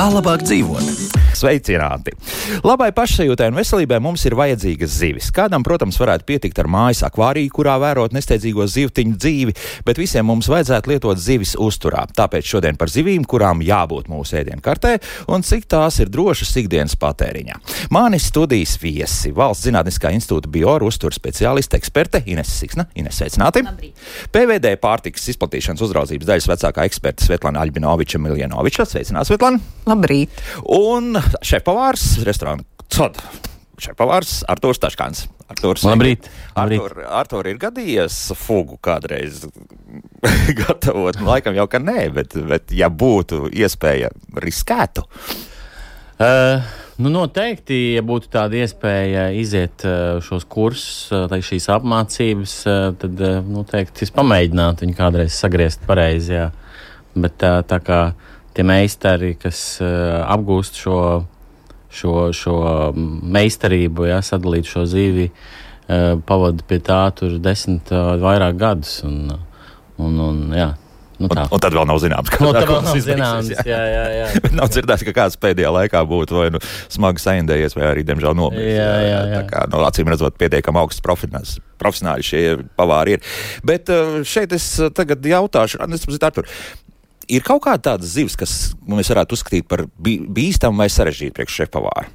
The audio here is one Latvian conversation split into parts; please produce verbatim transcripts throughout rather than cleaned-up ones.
Kā labāk dzīvot? Sveicināti! Labai pašsajūtai un veselībai mums ir vajadzīgas zivis. Kādam, protams, varētu pietikt ar mājas akvāriju, kurā vērot nesteidzīgo zivtiņu dzīvi, bet visiem mums vajadzētu lietot zivis uzturā. Tāpēc šodien par zivīm, kurām jābūt mūsu ēdienkartē un cik tās ir drošas ikdienas patēriņā. Manis studijas viesi, Valsts Zinātniskā institūta bioru uzturs speciāliste eksperte Inese Siksna. Inese, sveicināti! Labrīt. P V D pārtikas izplatīšanas uzraudzības daļas vecākā eksperte Svetlana Aļbinoviča Miljanoviča. Sveicināti, Svetlana! Labrīt! Un šefpavārs, restorāna Cod. Šefpavārs Artūrs Taškāns. Artūrs, Labrīt. Artūr, Artūr ir gadījies fugu kādreiz gatavot? Laikam jau, ka nē, bet, bet ja būtu iespēja, riskētu? Uh, nu noteikti, ja būtu tāda iespēja iziet uh, šos kursus, uh, šīs apmācības, uh, tad uh, noteikti es pamēģinātu viņu kādreiz sagriezt pareizi, jā. Bet uh, tā kā tie meistari, kas uh, apgūst šo, šo, šo meistarību, jā, sadalīt šo zīvi, uh, pavada pie tā tur desmit uh, vairāk gadus. Un, un, un, jā, nu un, un tad vēl nav zināms, kā no, tā vēl nav izbeigsies, zināms, jā, jā, jā. jā. Bet nav dzirdēts, ka kāds pēdējā laikā būtu vai nu smagi saindējies, vai arī, diemžēl, nomiris. Jā, jā, jā. Tā kā, no acīm redzot, pietiekam augsts profesionāls. Profesionāļi šie pavāri ir. Bet uh, šeit es tagad jautāšu, Artur, ir kaut kāda tāda zivs, kas mēs varētu uzskatīt par bīstamu vai sarežģītu priekš šefpavāru?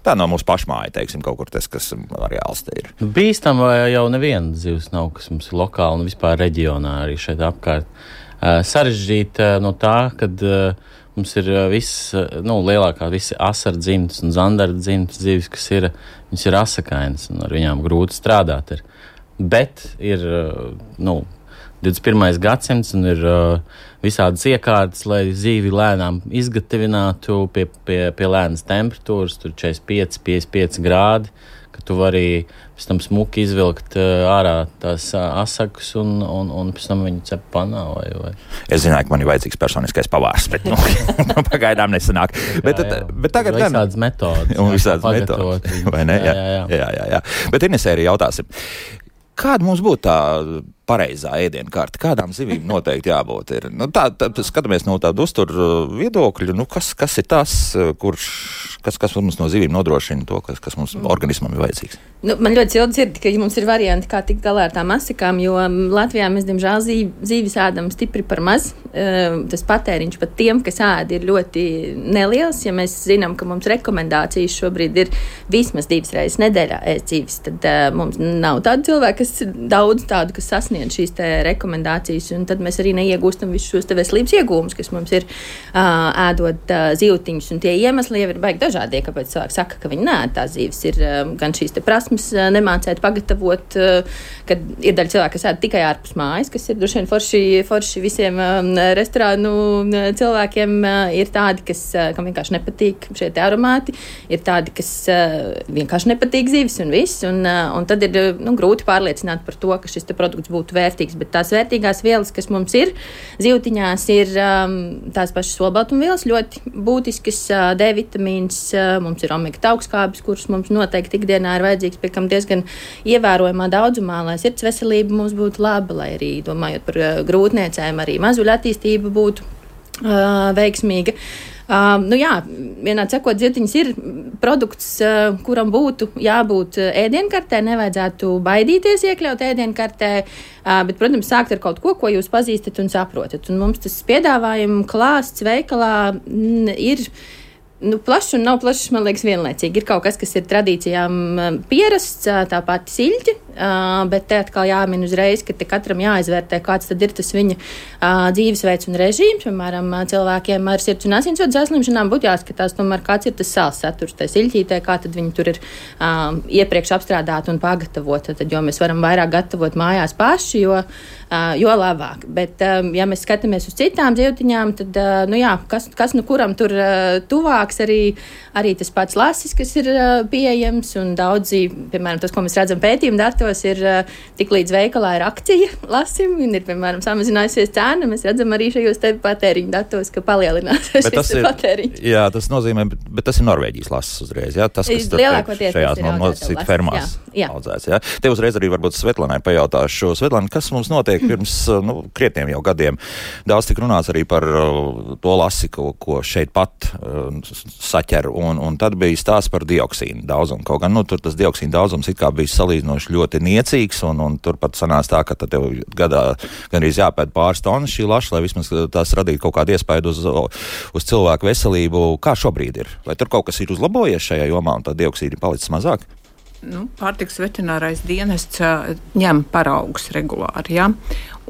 Tā nav mūsu pašmāja, teiksim, kaut kur tas, kas reāls te ir. Bīstam jau neviena zivs nav, kas mums ir lokāli un vispār reģionā arī šeit apkārt. Uh, sarežģīt uh, no tā, kad uh, mums ir uh, viss, uh, nu, lielākā visi asardzimtas un zandardzimtas zivis, kas ir, viņas ir asakainas un ar viņām grūti strādāt ir. Bet ir, uh, nu, divdesmit pirmais gadsimts un ir uh, visādas iekārtas, lai zīvi lēnām izgatavinātu pie, pie, pie lēnas temperatūras, tur četrdesmit pieci, piecdesmit pieci grādi, ka tu vari pēc tam smuki izvilkt uh, ārā tās uh, asakas un, un, un pēc tam viņu cep panā. Vai, vai. Es zināju, ka man ir vajadzīgs personiskais pavārs, bet nu, pagaidām nesanāk. Bet, jā, jā. bet tagad ir visādas metodas. Un visādas metodas, vai ne? Jā, jā, jā. jā, jā, jā. Bet Inesē arī jautāsim. Kāda mums būtu tā pareizā ēdienkarte? Kādām zivīm noteikti jābūt? Ir? Nu, tā, tā, skatāmies no tāda uztura viedokļa, nu, kas, kas ir tas, kurš, kas, kas mums no zivīm nodrošina to, kas, kas mums organismam ir vajadzīgs? Nu, man ļoti silti dzird, ka mums ir varianti, kā tikt galā ar tām asakām, jo Latvijā mēs, diemžēl, zīvis ēdam stipri par maz. Tas patēriņš pat tiem, kas ēd, ir ļoti neliels. Ja mēs zinām, ka mums rekomendācijas šobrīd ir vismaz divas reizes nedēļā ēst zīvis, tad uh, mums nav tādu cilvēku, kas daudz tādu, kas sasniedz šīs te rekomendācijas, un tad mēs arī neiegūstam visus šos te veselības iegūmus, kas mums ir uh, ēdot uh, zivtiņus. Un tie iemesli jau ir baigi dažādie, kāpēc cilvēki saka, ka viņi neēd tās zīves. Ir uh, gan šīs te prasmes nemācēt pagatavot, kad ir daļa cilvēka, kas ēd tikai ārpus mājas, kas ir droši vien forši, forši visiem restorānu cilvēkiem. Ir tādi, kas, kam vienkārši nepatīk šie te aromāti, ir tādi, kas vienkārši nepatīk zivis un viss, un, un tad ir nu, grūti pārliecināt par to, ka šis te produkts būtu vērtīgs, bet tās vērtīgās vielas, kas mums ir zivtiņās, ir tās pašas olbaltumvielas, ļoti būtiskas, D vitamīns, mums ir omega taukskābes, kuras mums noteikti ikdienā ir vajadzīgs, pie kam diezgan ievērojamā daudzumā, lai sirds veselība mums būtu laba, lai arī, domājot par uh, grūtniecēm, arī mazuļu attīstība būtu uh, veiksmīga. Uh, nu jā, vienādi sakot, zivtiņas ir produkts, uh, kuram būtu jābūt ēdienkartē, nevajadzētu baidīties iekļaut ēdienkartē, uh, bet, protams, sākt ar kaut ko, ko jūs pazīstat un saprotat. Un mums tas piedāvājuma klāsts veikalā mm, ir Nu, plašs un nav plašs, man liekas, vienlaicīgi. Ir kaut kas, kas ir tradīcijām pierasts, tā pati siļķi, bet te atkal jāmin uzreiz, ka te katram jāizvērtē, kāds tad ir tas viņa dzīvesveids un režīms. Piemēram, cilvēkiem ar sirds un asinsvadu saslimšanām būtu jāskatās, tomēr, kāds ir tas sāls saturs tajā siļķītē, kā tad viņi tur ir iepriekš apstrādāti un pagatavoti. Tad, jo mēs varam vairāk gatavot mājās paši, jo, jo labāk. Bet, ja mēs skatāmies uz citām zivtiņām, tad, nu jā, kas, kas nu kuram tur tuvāk, labāks arī, arī tas pats lasis, kas ir uh, pieejams, un daudzi, piemēram, tas, ko mēs redzam pētījuma datos, ir uh, tik līdz veikalā ir akcija lasim, un ir, piemēram, samazinājusies cēna, mēs redzam arī šajos te patēriņu datos, ka palielinās šis patēriņš. Jā, tas nozīmē, bet, bet tas ir Norvēģijas lasis uzreiz, jā? Tas, kas lielākoties šajās nosacīt fermās jā, jā. audzēts, jā? Te uzreiz arī varbūt Svetlanai pajautāšu. Svetlana, kas mums notiek pirms, nu, krietniem jau gadiem? Daudz tik runāts arī par uh, to lasi, ko, ko šeit pat uh, saķer, un, un tad bija stāsts par dioksīnu daudzumu. Kaut gan, nu, tur tas dioksīna daudzums it kā bija salīdzinoši ļoti niecīgs, un, un tur pat sanāca tā, ka tad tev gadā gan arī jāpēd pāris tonnas šī laša, lai vismaz tās radītu kaut kādu iespaidu uz, uz cilvēku veselību. Kā šobrīd ir? Vai tur kaut kas ir uzlabojies šajā jomā un tā dioksīna palicis mazāk? Nu, pārtiks veterinārais dienests uh, ņem paraugus regulāri, ja?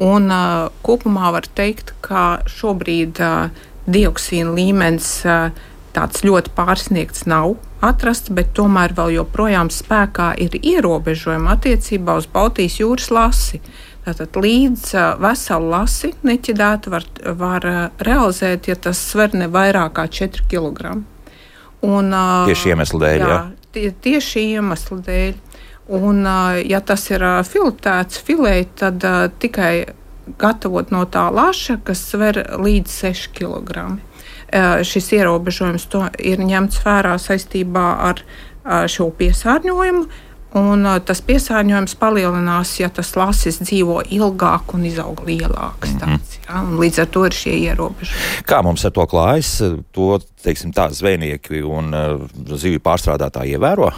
Un uh, kopumā var teikt, ka šobrīd uh, dioksīna līmenis uh, tāds ļoti pārsniegts nav atrasts, bet tomēr vēl joprojām spēkā ir ierobežojumi attiecībā uz Baltijas jūras lasi. Tātad līdz uh, veselu lasi neķidētu var, var uh, realizēt, ja tas sver ne vairāk kā četri kilogrami. Un, uh, tieši iemeslu dēļ, jā? Tie, tieši iemeslu dēļ. Un, ja tas ir filetēts filē, tad uh, tikai gatavot no tā laša, kas sver līdz seši kilogrami. Uh, šis ierobežojums to ir ņemts vērā saistībā ar uh, šo piesārņojumu, un uh, tas piesārņojums palielinās, ja tas lasis dzīvo ilgāk un izaug lielāks. Mm-hmm. tāds, ja? Un līdz ar to ir šie ierobežojumi. Kā mums ar to klājas? To, teiksim, tā zvejnieki un uh, zivju pārstrādātāji ievēro?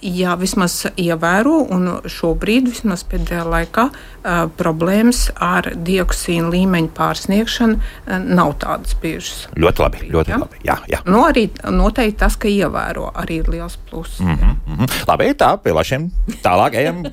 Jā, vismaz ievēro, un šobrīd, vismaz pēdējā laikā, uh, problēmas ar dioksīnu līmeņu pārsniegšanu uh, nav tādas biežas. Ļoti labi, ļoti ja? labi. Jā, jā. Nu, arī noteikti tas, ka ievēro, arī ir liels pluss. Mm-hmm, mm-hmm. Labi, tā, pie lašiem tālāk ejam,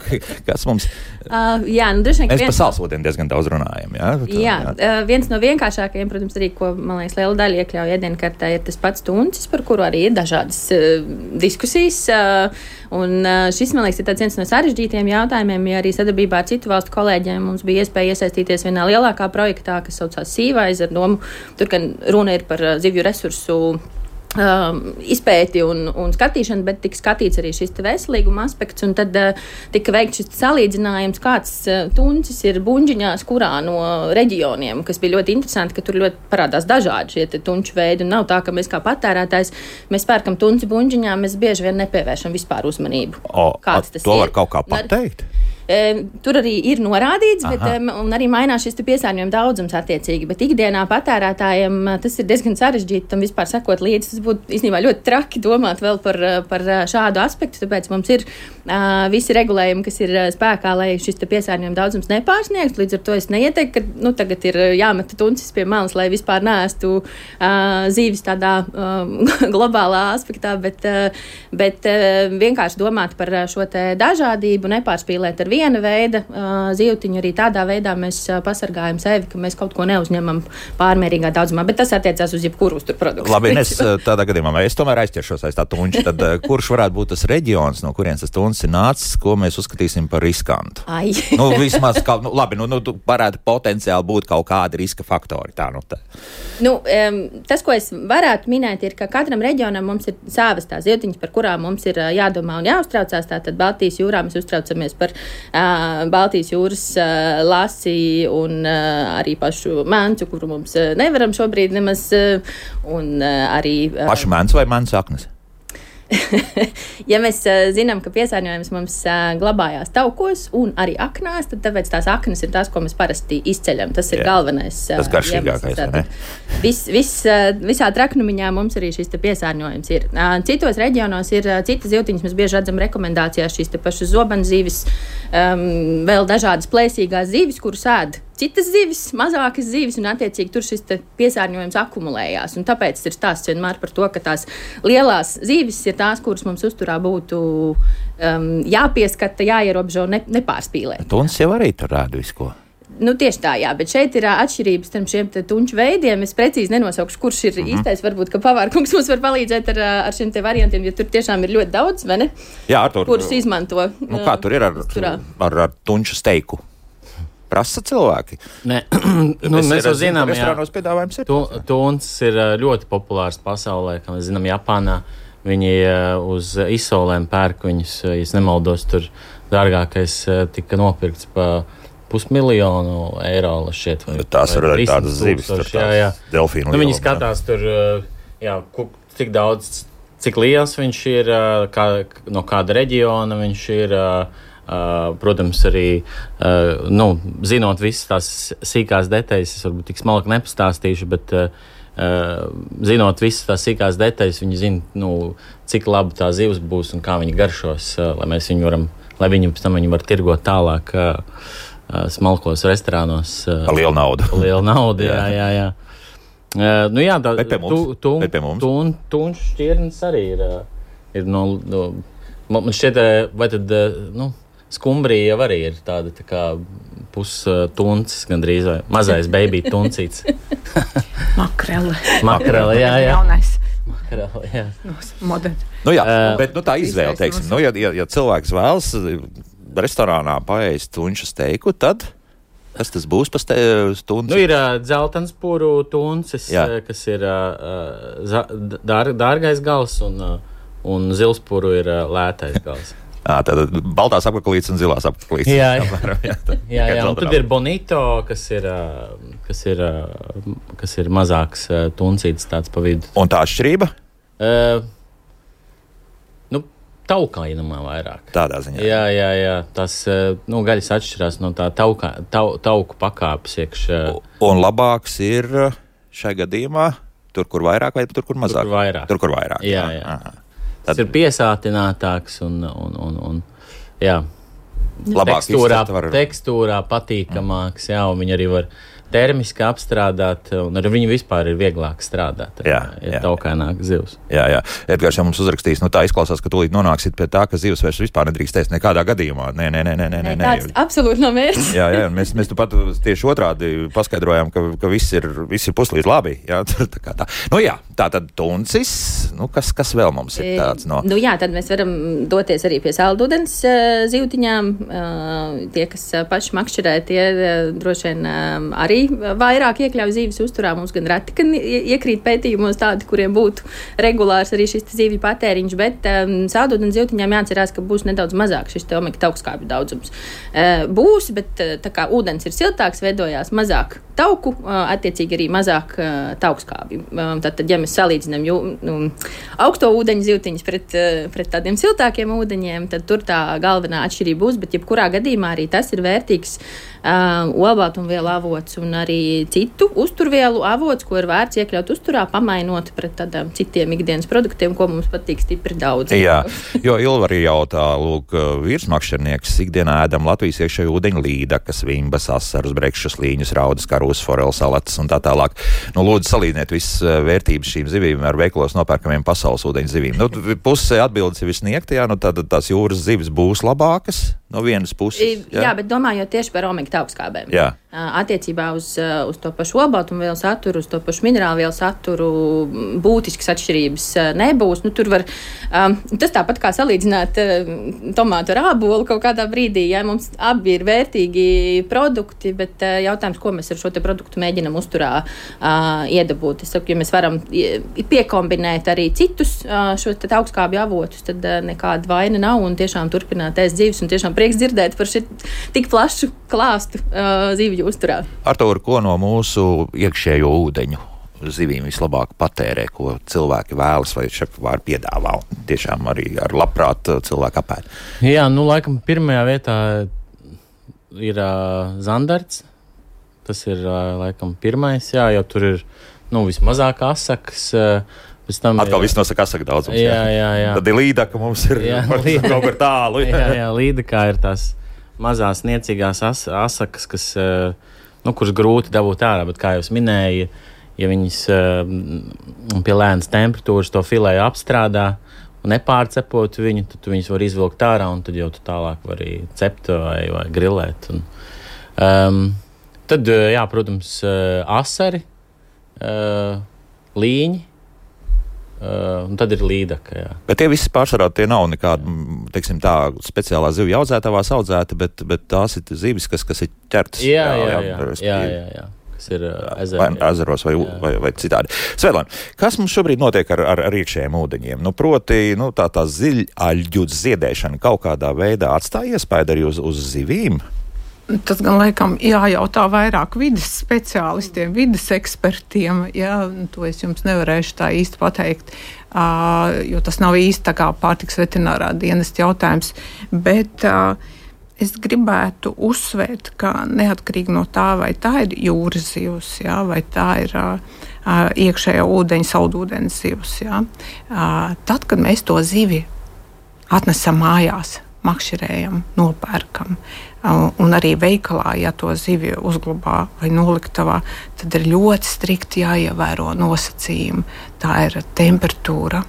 kas mums... Uh, jā, nu, droši vien, Mēs viens... par salsūdeni diezgan daudz runājam, jā? Tā, jā, jā. Uh, viens no vienkāršākajiem, protams, arī, ko, man liekas, liela daļa iekļauj ēdienkartē, ir tas pats tuncis, par kuru arī ir dažādas uh, diskusijas. Uh, un uh, šis, man liekas, ir tāds viens no sarežģītiem jautājumiem, ja arī sadarbībā ar citu valstu kolēģiem mums bija iespēja iesaistīties vienā lielākā projektā, kas saucās Seawise, ar domu, tur, gan runa ir par uh, zivju resursu Um, izpēti un, un skatīšanu, bet tika skatīts arī šis veselīguma aspekts, un tad uh, tika veikts šis salīdzinājums, kāds uh, tuncis ir buņģiņās, kurā no reģioniem, kas bija ļoti interesanti, ka tur ļoti parādās dažādi šie tunču veidi, un nav tā, ka mēs kā patērētājs, mēs pērkam tunci buņģiņā, mēs bieži vien nepievēršam vispār uzmanību. O, kāds tas to ir. Var kaut kā pateikt? Tur arī ir norādīts, bet, um, arī mainās šis piesārņojuma daudzums attiecīgi. Bet ikdienā patērētājiem tas ir diezgan sarežģīti tam vispār sekot līdzi. Tas būtu īstenībā ļoti traki domāt vēl par, par šādu aspektu. Tāpēc mums ir uh, visi regulējumi, kas ir spēkā, lai šis piesārņojuma daudzums nepārsniegtu. Līdz ar to es neieteiktu, ka nu, tagad ir jāmeta tuncis pie malas, lai vispār neēstu uh, zīvis tādā um, globālā aspektā, bet, uh, bet uh, vienkārši domāt par šo te dažādību, nepārspīlēt ar viena veida uh, zivtiņu, arī tādā veidā mēs uh, pasargājam sevi, ka mēs kaut ko neuzņemam pārmērīgā daudzumā, bet tas attiecās uz jebkuru uzturu produktu. Labi, es tādā gadījumā, es tomēr aizķeršos aiz tā tunča, tad uh, kurš varētu būt tas reģions, no kurienes tas tuncis ir nācis, ko mēs uzskatīsim par riskantu? Ai. nu, vismaz, kaut, nu, labi, nu, nu, varētu potenciāli būt kaut kādi riska faktori, tā, nu, tā. Nu, um, tas, ko es varētu minēt, ir, ka katram reģionam mums ir savas tās zivtiņas, par kurām mums ir uh, jādomā un jāuztraucās, tātad Baltijas jūrā mēs uztraucamies par Uh, Baltijas jūras uh, lasi un uh, arī pašu mēncu, kuru mums uh, nevaram šobrīd nemaz, uh, un uh, arī... Uh, pašu mēncu vai mēncu aknes? Ja mēs uh, zinām, ka piesārņojums mums uh, glabājās taukos un arī aknās, tad tāpēc tās aknas ir tās, ko mēs parasti izceļam. Tas ir Jā. galvenais. Uh, tas garšīgākais, ne? Vis, vis, uh, visā traknumiņā mums arī šis te piesārņojums ir. Uh, citos reģionos ir uh, citas zivtiņas, mēs bieži redzam rekomendācijās šīs te pašas zobenzīves, um, vēl dažādas plēsīgās zīves, kuras ēd citas zivis, mazākas zivis, un attiecīgi tur šis piesārņojums akumulējās. Un tāpēc ir stāsts vienmēr par to, ka tās lielās zivis ir tās, kuras mums uzturā būtu um, jāpieskata, jāierobežo, ne, nepārspīlēt. Tuncis jau arī tur rāda visu ko. Nu, tieši tā, jā, bet šeit ir uh, atšķirības starp šiem tunču veidiem. Es precīzi nenosaukšu, kurš ir mm-hmm. īstais. Varbūt, ka pavārkungs mums var palīdzēt ar, ar šiem te variantiem, jo tur tiešām ir ļoti daudz, vai ne? Jā, tur, kurus izmanto. Nu, kā tur ir ar, ar, ar tunču steiku? Prasa cilvēki. Nē, nu, mēs jau zinām, jā, piedāvājums ir. Tu, tuns ir ļoti populārs pasaulē, kā mēs zinām, Japānā. Viņi uz izsolēm pērk viņus, ja es nemaldos, tur dārgākais tika nopirkts pa pusmiljonu eiro, šķiet. Vai, tās var arī tādas zivis, tur tās delfīnu. Nu, viņi skatās tur, jā, cik daudz, cik liels viņš ir, kā, no kāda reģiona viņš ir. Uh, protams, arī uh, nu, zinot visas tās sīkās detaļas, es varbūt tik smalki nepastāstīšu, bet uh, uh, zinot visas tās sīkās detaļas, viņi zina, nu, cik laba tā zivs būs un kā viņi garšos, uh, lai mēs viņu varam, lai viņi pēc tam viņu var tirgot tālāk uh, uh, smalkos restorānos. Uh, Par lielu naudu. Par lielu naudu, jā, jā, jā. Uh, nu jā, tā, bet pie mums. Tu, bet pie mums. Tu, un, tu un šķirnes arī ir, uh, ir no, no, man šķiet, vai tad, uh, nu, skumbrija jau arī ir tāda tā kā pustuncis gandrīz, vai mazais baby tuncīts. Makrele. Makrele, jā, jā. Jaunais. Makrele, jā. Moderns. Nu jā, Uh, bet nu tā izvēle, teiksim, nu ja, ja, ja cilvēks vēlas restorānā paēst tunču steiku, tad kas tas būs pa stundu? Nu ir uh, dzeltenspūru tuncis, uh, kas ir uh, za, dār, dārgais gals, un, uh, un zilspūru ir uh, lētais gals. À, tātad baltās apaklītes un zilās apaklītes. Jā, jā. Apmēram, jā, tā, jā, jā, un tad ir bonito, kas ir, kas ir, kas ir mazāks tuncītis tāds pa vidu. Un tā atšķirība? Uh, nu, taukainamā vairāk. Tādā ziņā. Jā, jā, jā. Tas, nu, gaļas atšķirās no tā tauka, tau, tauku pakāpes iekš. Un labāks ir šai gadījumā tur, kur vairāk vai tur, kur mazāk? Tur, kur vairāk. Tur, kur vairāk. Jā, jā. Aha. Tas Tad... ir piesātinātāks un, un, un, un jā, tekstūrā, var... tekstūrā patīkamāks, jā, un viņi arī var termiski apstrādāt, un ar viņu vispār ir vieglāk strādāt, jā, ja jā. Taukaināk zivs. Jā, jā. Edgars jau mums uzrakstīs, nu tā izklausās, ka tūlīt nonāksit pie tā, ka zivs vairs vispār nedrīkst ēst nekādā gadījumā. Nē, nē, nē, nē, nē, nē. Tāds absolūti nav mērķis. Jā, jā, mēs, mēs tu pat tieši otrādi paskaidrojām, ka, ka viss ir, viss ir puslīdz labi. Jā, tā kā tā. Nu jā, tā tad tuncis, nu kas, kas vēl mums ir tāds no? Nu jā, tad mēs varam doties arī pie saldūdens uh, zivtiņām. Uh, tie, kas uh, paši makšķerē, tie uh, droši vien uh, arī vairāk iekļauj zīves uzturā. Mums gan reti, ka iekrīt pētījumos tādi, kuriem būtu regulārs arī šis zīvju patēriņš, bet um, saldūdens zivtiņām jāatcerās, ka būs nedaudz mazāk šis te omega taukskābju daudzums. Uh, būs, bet uh, tā kā ūdens ir siltāks, veidojās mazāk tauku, uh, attiecīgi arī mazāk uh, taukskābju. Uh, tad, tad, ja mēs salīdzinām jū, nu, augsto ūdeņu zivtiņus pret, uh, pret tādiem siltākiem ūdeņiem, tad tur tā galvenā atšķirība būs, bet jebkurā gadījumā arī tas ir vērtīgs uh, olbaltumvielu avots un arī citu uzturvielu avots, ko ir vērts iekļaut uzturā, pamainot pret tādām citiem ikdienas produktiem, ko mums patīk stipri daudz. Jā, jo Ilva arī jautā, lūk, virsmakšķernieks ikdienā ēdam Latvijas iekšējo ūdeņu līdakas, vimbas, asarus, brekšus, līņus, raudas, karūs, foreles, salatas un tā tālāk. Nu, lūdzu, salīdziniet visas vērtības šīm zivīm ar veikalos nopērkamiem pasaules ūdeņu zivīm. Nu, puse atbildes ir visniegta, jā, nu tad tās jūras zivis būs labākas no vienas puses. Jā, jā bet domājot tieši par omega taukskābēm. Jā. Attiecībā uz, uz to pašu olbaltumvielu saturu, uz to pašu minerālvielu saturu būtiskas atšķirības nebūs. Nu, tur var, um, tas tāpat kā salīdzināt uh, tomātu ar ābolu kaut kādā brīdī. Ja, mums abi ir vērtīgi produkti, bet uh, jautājums, ko mēs ar šo te produktu mēģinam uzturā uh, iedabūt. Es saku, ja mēs varam piekombinēt arī citus uh, šos te taukskābju avotus, tad uh, nekāda vaina nav un tiešām turpināt ēst zivis un tiešām prieks dzirdēt par šit tik plašu klāstu uh, zivju uzturā. Artūr, ko no mūsu iekšējo ūdeņu zivīm vislabāk patērē, ko cilvēki vēlas vai šefpavāri piedāvā un tiešām arī ar labprāt cilvēku apēd? Jā, nu laikam pirmajā vietā ir uh, zandarts. Tas ir uh, laikam pirmais, jā, jo tur ir nu, vismazāk asakas. Uh, Atkal viss nosaka asaka daudzums. Jā, jā, jā. Tad ir līdaka, mums ir jā, kaut kur tālu. Jā, jā, līdakā ir tās mazās niecīgās as, asakas, kas, nu, kuras grūti dabūt ārā, bet kā jau es minēju, ja viņas pie lēnas temperatūras to filēju apstrādā un nepārcepot viņu, tad viņas var izvilkt ārā un tad jau tu tālāk vari cept vai, vai grilēt. Un, um, tad, jā, protams, asari, uh, līņi, uh, un tad ir līdaka, jā. Bet tie visi pārsvarā tie nav nekādi, teiksim tā, speciālā zivju audzētavās audzēti, bet, bet tās ir zivis, kas, kas ir ķertas. Jā, jā, jā, jā, jā, jā, jā. Kas ir uh, ezeri, vai ezeros vai, vai, vai citādi. Svetlana, kas mums šobrīd notiek ar, ar, ar iekšējiem ūdeņiem? Nu, proti, nu, tā, tā ziļaļģu ziedēšana kaut kādā veidā atstāja iespēju arī uz, uz zivīm? Tas gan laikam jājautā vairāk vides speciālistiem, vides ekspertiem. Jā, to es jums nevarēšu tā īsti pateikt, uh, jo tas nav īsti tā kā pārtikas veterinārā dienesta jautājums. Bet uh, es gribētu uzsvērt, ka neatkarīgi no tā, vai tā ir jūras zivs, jā, vai tā ir uh, iekšējā ūdeņa, saldūdens zivs. Jā. Uh, tad, kad mēs to zivi atnesam mājās, makšķerējam, nopērkam, un arī veikalā, ja to zivi uzglabā vai noliktavā, tad ir ļoti strikti jāievēro nosacījumi. Tā ir temperatūra,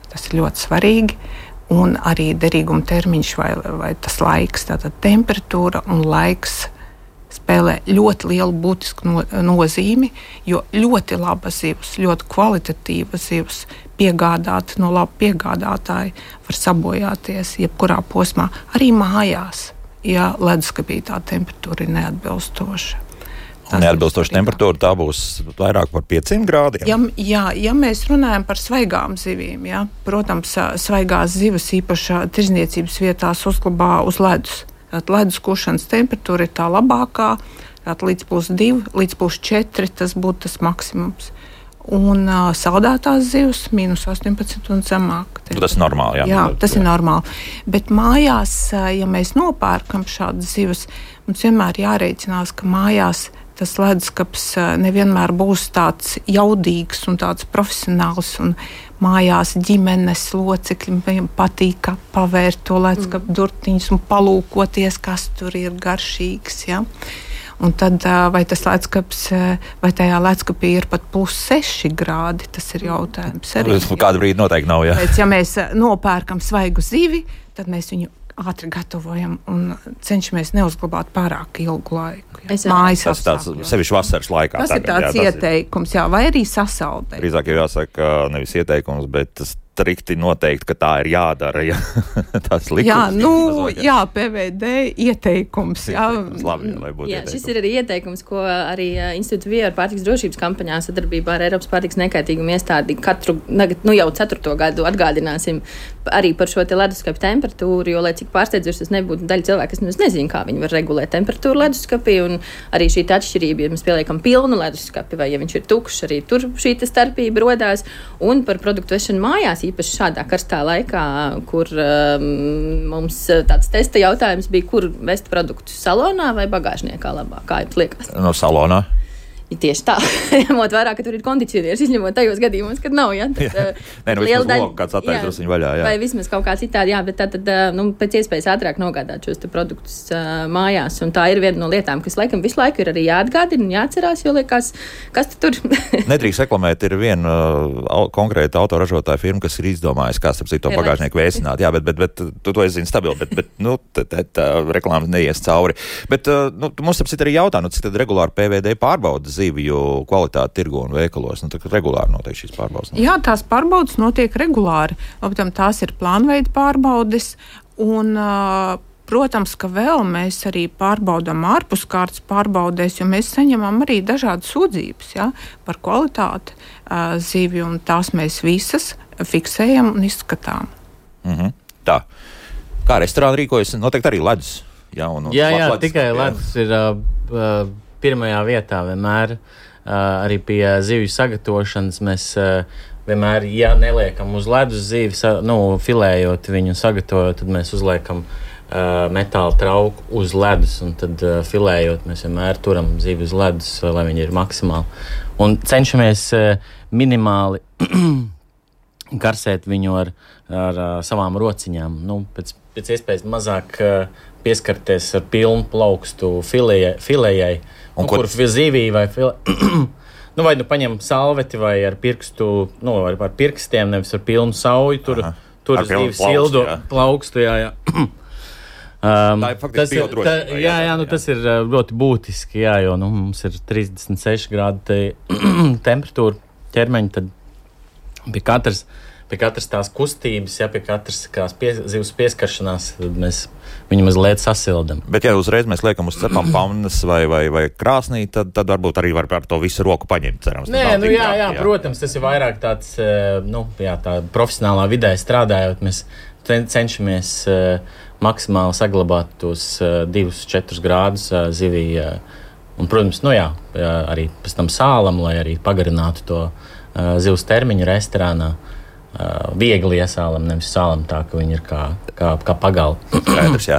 tas ir ļoti svarīgi, un arī derīguma termiņš vai, vai tas laiks. Tātad temperatūra un laiks spēlē ļoti lielu būtisku no, nozīmi, jo ļoti laba zivs, ļoti kvalitatīva zivs, piegādāt no laba piegādātāja var sabojāties jebkurā posmā, arī mājās, ja leduskapī tā temperatūra ir neatbilstoša. Neatbilstoša temperatūra, tā būs vairāk par pieciem grādiem? Ja, jā, ja mēs runājam par svaigām zivīm, jā, protams, svaigās zivs īpaši tirzniecības vietās uzglabā uz ledus. Ledus kušanas temperatūra ir tā labākā, līdz plus divi, līdz plus četri tas būtu tas maksimums. Un uh, saldētās zivs mīnus astoņpadsmit un zemāk. Tas ir normāli, jā. Jā, tas ir normāli. Bet mājās, ja mēs nopērkam šādas zivs, mums vienmēr jārēķinās, ka mājās tas leduskapis nevienmēr būs tāds jaudīgs un tāds profesionāls, un mājās ģimenes locekļiem patīk pavērt to leduskapu durtiņus un palūkoties, kas tur ir garšīgs. Ja? Un tad vai tas leduskapis, vai tajā leduskapī ir pat plus seši grādi, tas ir jautājums. Arī, kādu brīdi noteikti nav, jā. Pēc, ja mēs nopērkam svaigu zivi, tad mēs viņu ātri gatavojam un cenšamies neuzglabāt pārāk ilgu laiku. Mājas tas tāds sevišķi vasaras laikā. Tas tagad, ir tāds jā, ieteikums, jā, vai arī sasaldēt. Drīzāk jau jāsaka nevis ieteikums, bet tas strikti noteikti, ka tā ir jādara. Ja? Tas likums. Jā, nu, mazāk, jā, P V D ieteikums. Jā, ieteikums labi, lai būtu jā, ieteikums. Šis ir arī ieteikums, ko arī Institūta Viera pārtikas drošības kampaņā sadarbībā ar Eiropas pārtikas nekaitīgumu iestādi katru, nu jau ceturto gadu atgādināsim arī par šo te leduskapi temperatūru, jo, lai cik pārsteidzoši tas nebūtu, daļa cilvēku, kas nemaz nezina, kā viņi var regulēt temperatūru leduskapī, un arī šī atšķirība, ja mēs pieliekam pilnu leduskapi, vai ja viņš ir tukšs, arī tur šī starpība rodās, un par produktu vešanu mājās, īpaši šādā karstā laikā, kur um, mums tāds testa jautājums bija, kur vest produktus salonā vai bagāžniekā labāk, kā jums liekas? No salonā. Ja tieši tā, ņemot vērā, ka tur ir kondicionieris, izņemot tajos gadījumos, kad nav, ja? Tad, jā. Nē, nu vismaz loku kāds attaisa drusciņu vaļā, jā. Vai vismaz kaut kā citādi, jā, bet tā tad, nu, pēc iespējas ātrāk nogādāt šos te produktus uh, mājās, un tā ir viena no lietām, kas laikam visu laiku ir arī jāatgādina un jāatcerās, jo liekas, kas tur? Nedrīkst reklamēt, ir viena uh, konkrēta autoražotāja firma, kas ir izdomājusi, kā starp citu bagāžnieku vēsināt, jā, bet, bet, bet tu to es zinu stabili, bet, bet, nu, tā reklāmas neies cauri. Bet, uh, nu, mums starp citu arī jautā, nu, cik tad regulāri P V D pārbauda zivju kvalitāti tirgu un veikalos. Nu, regulāri notiek šīs pārbaudas. Jā, tās pārbaudas notiek regulāri. Labam, tās ir plānveida pārbaudes. Un, protams, ka vēl mēs arī pārbaudām ārpuskārtas pārbaudēs, jo mēs saņemam arī dažādas sūdzības, ja, par kvalitāti zivju, un tās mēs visas fiksējam un izskatām. Mhm. Tā. Kā restorāni rīkojas? Noteikti arī ledus. Jā, un, un jā, jā, ledus, tikai jā. ledus ir uh, pirmajā vietā vienmēr. Uh, arī pie zivju sagatavošanas mēs uh, vienmēr, ja neliekam uz ledus zivi, sa, nu, filējot viņu, sagatavojot, tad mēs uzliekam uh, metāla trauku uz ledus, un tad uh, filējot mēs vienmēr turam zivi uz ledus, lai viņi ir maksimāli. Un cenšamies uh, minimāli karsēt viņu ar, ar uh, savām rociņām. Nu, pēc, pēc iespējas mazāk uh, pieskarties ar pilnu plaukstu filējai, filējai un, nu, kur zivī vai filējai. Nu, vai nu paņem salveti vai ar pirkstu, nu, ar, ar pirkstiem, nevis ar pilnu sauju, tur, tur zivi sildu plaukstu, jā, jā. Um, tā ir faktiski biodrošība. Jā, jā, jā, nu, tas ir ļoti būtiski, jā, jo nu, mums ir trīsdesmit seši grādi te, temperatūra ķermeņa, tad pie katras, pie katras tās kustības, ja, pie katras kās pie, zivs pieskaršanās, tad mēs viņu mazliet sasildam. Bet, ja uzreiz mēs liekam uz cepam pannas vai, vai, vai krāsnī, tad, tad varbūt arī var ar to visu roku paņemt, cerams. Nē, nu jā, jā, protams, tas ir vairāk tāds, nu, jā, tā profesionālā vidē strādājot, mēs cenšamies uh, maksimāli saglabāt tos uh, divus, četrus grādus uh, zivī. Uh, un, protams, nu jā, arī pēc tam sālam, lai arī pagarinātu to uh, zivs termiņu restorānā. Uh, viegli iesālam, nevis sālam tā, ka viņi ir kā, kā, kā pagali. Skaidrs, jā.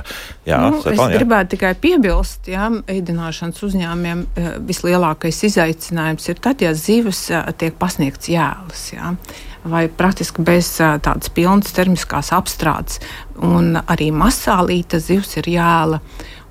Jā, nu, es jā. gribētu tikai piebilst, jā, ēdināšanas uzņēmumiem uh, vislielākais izaicinājums ir tad, ja zivs uh, tiek pasniegts jēlas, jā, vai praktiski bez uh, tādas pilnas termiskās apstrādes. Un arī masālīta zivs ir jēla,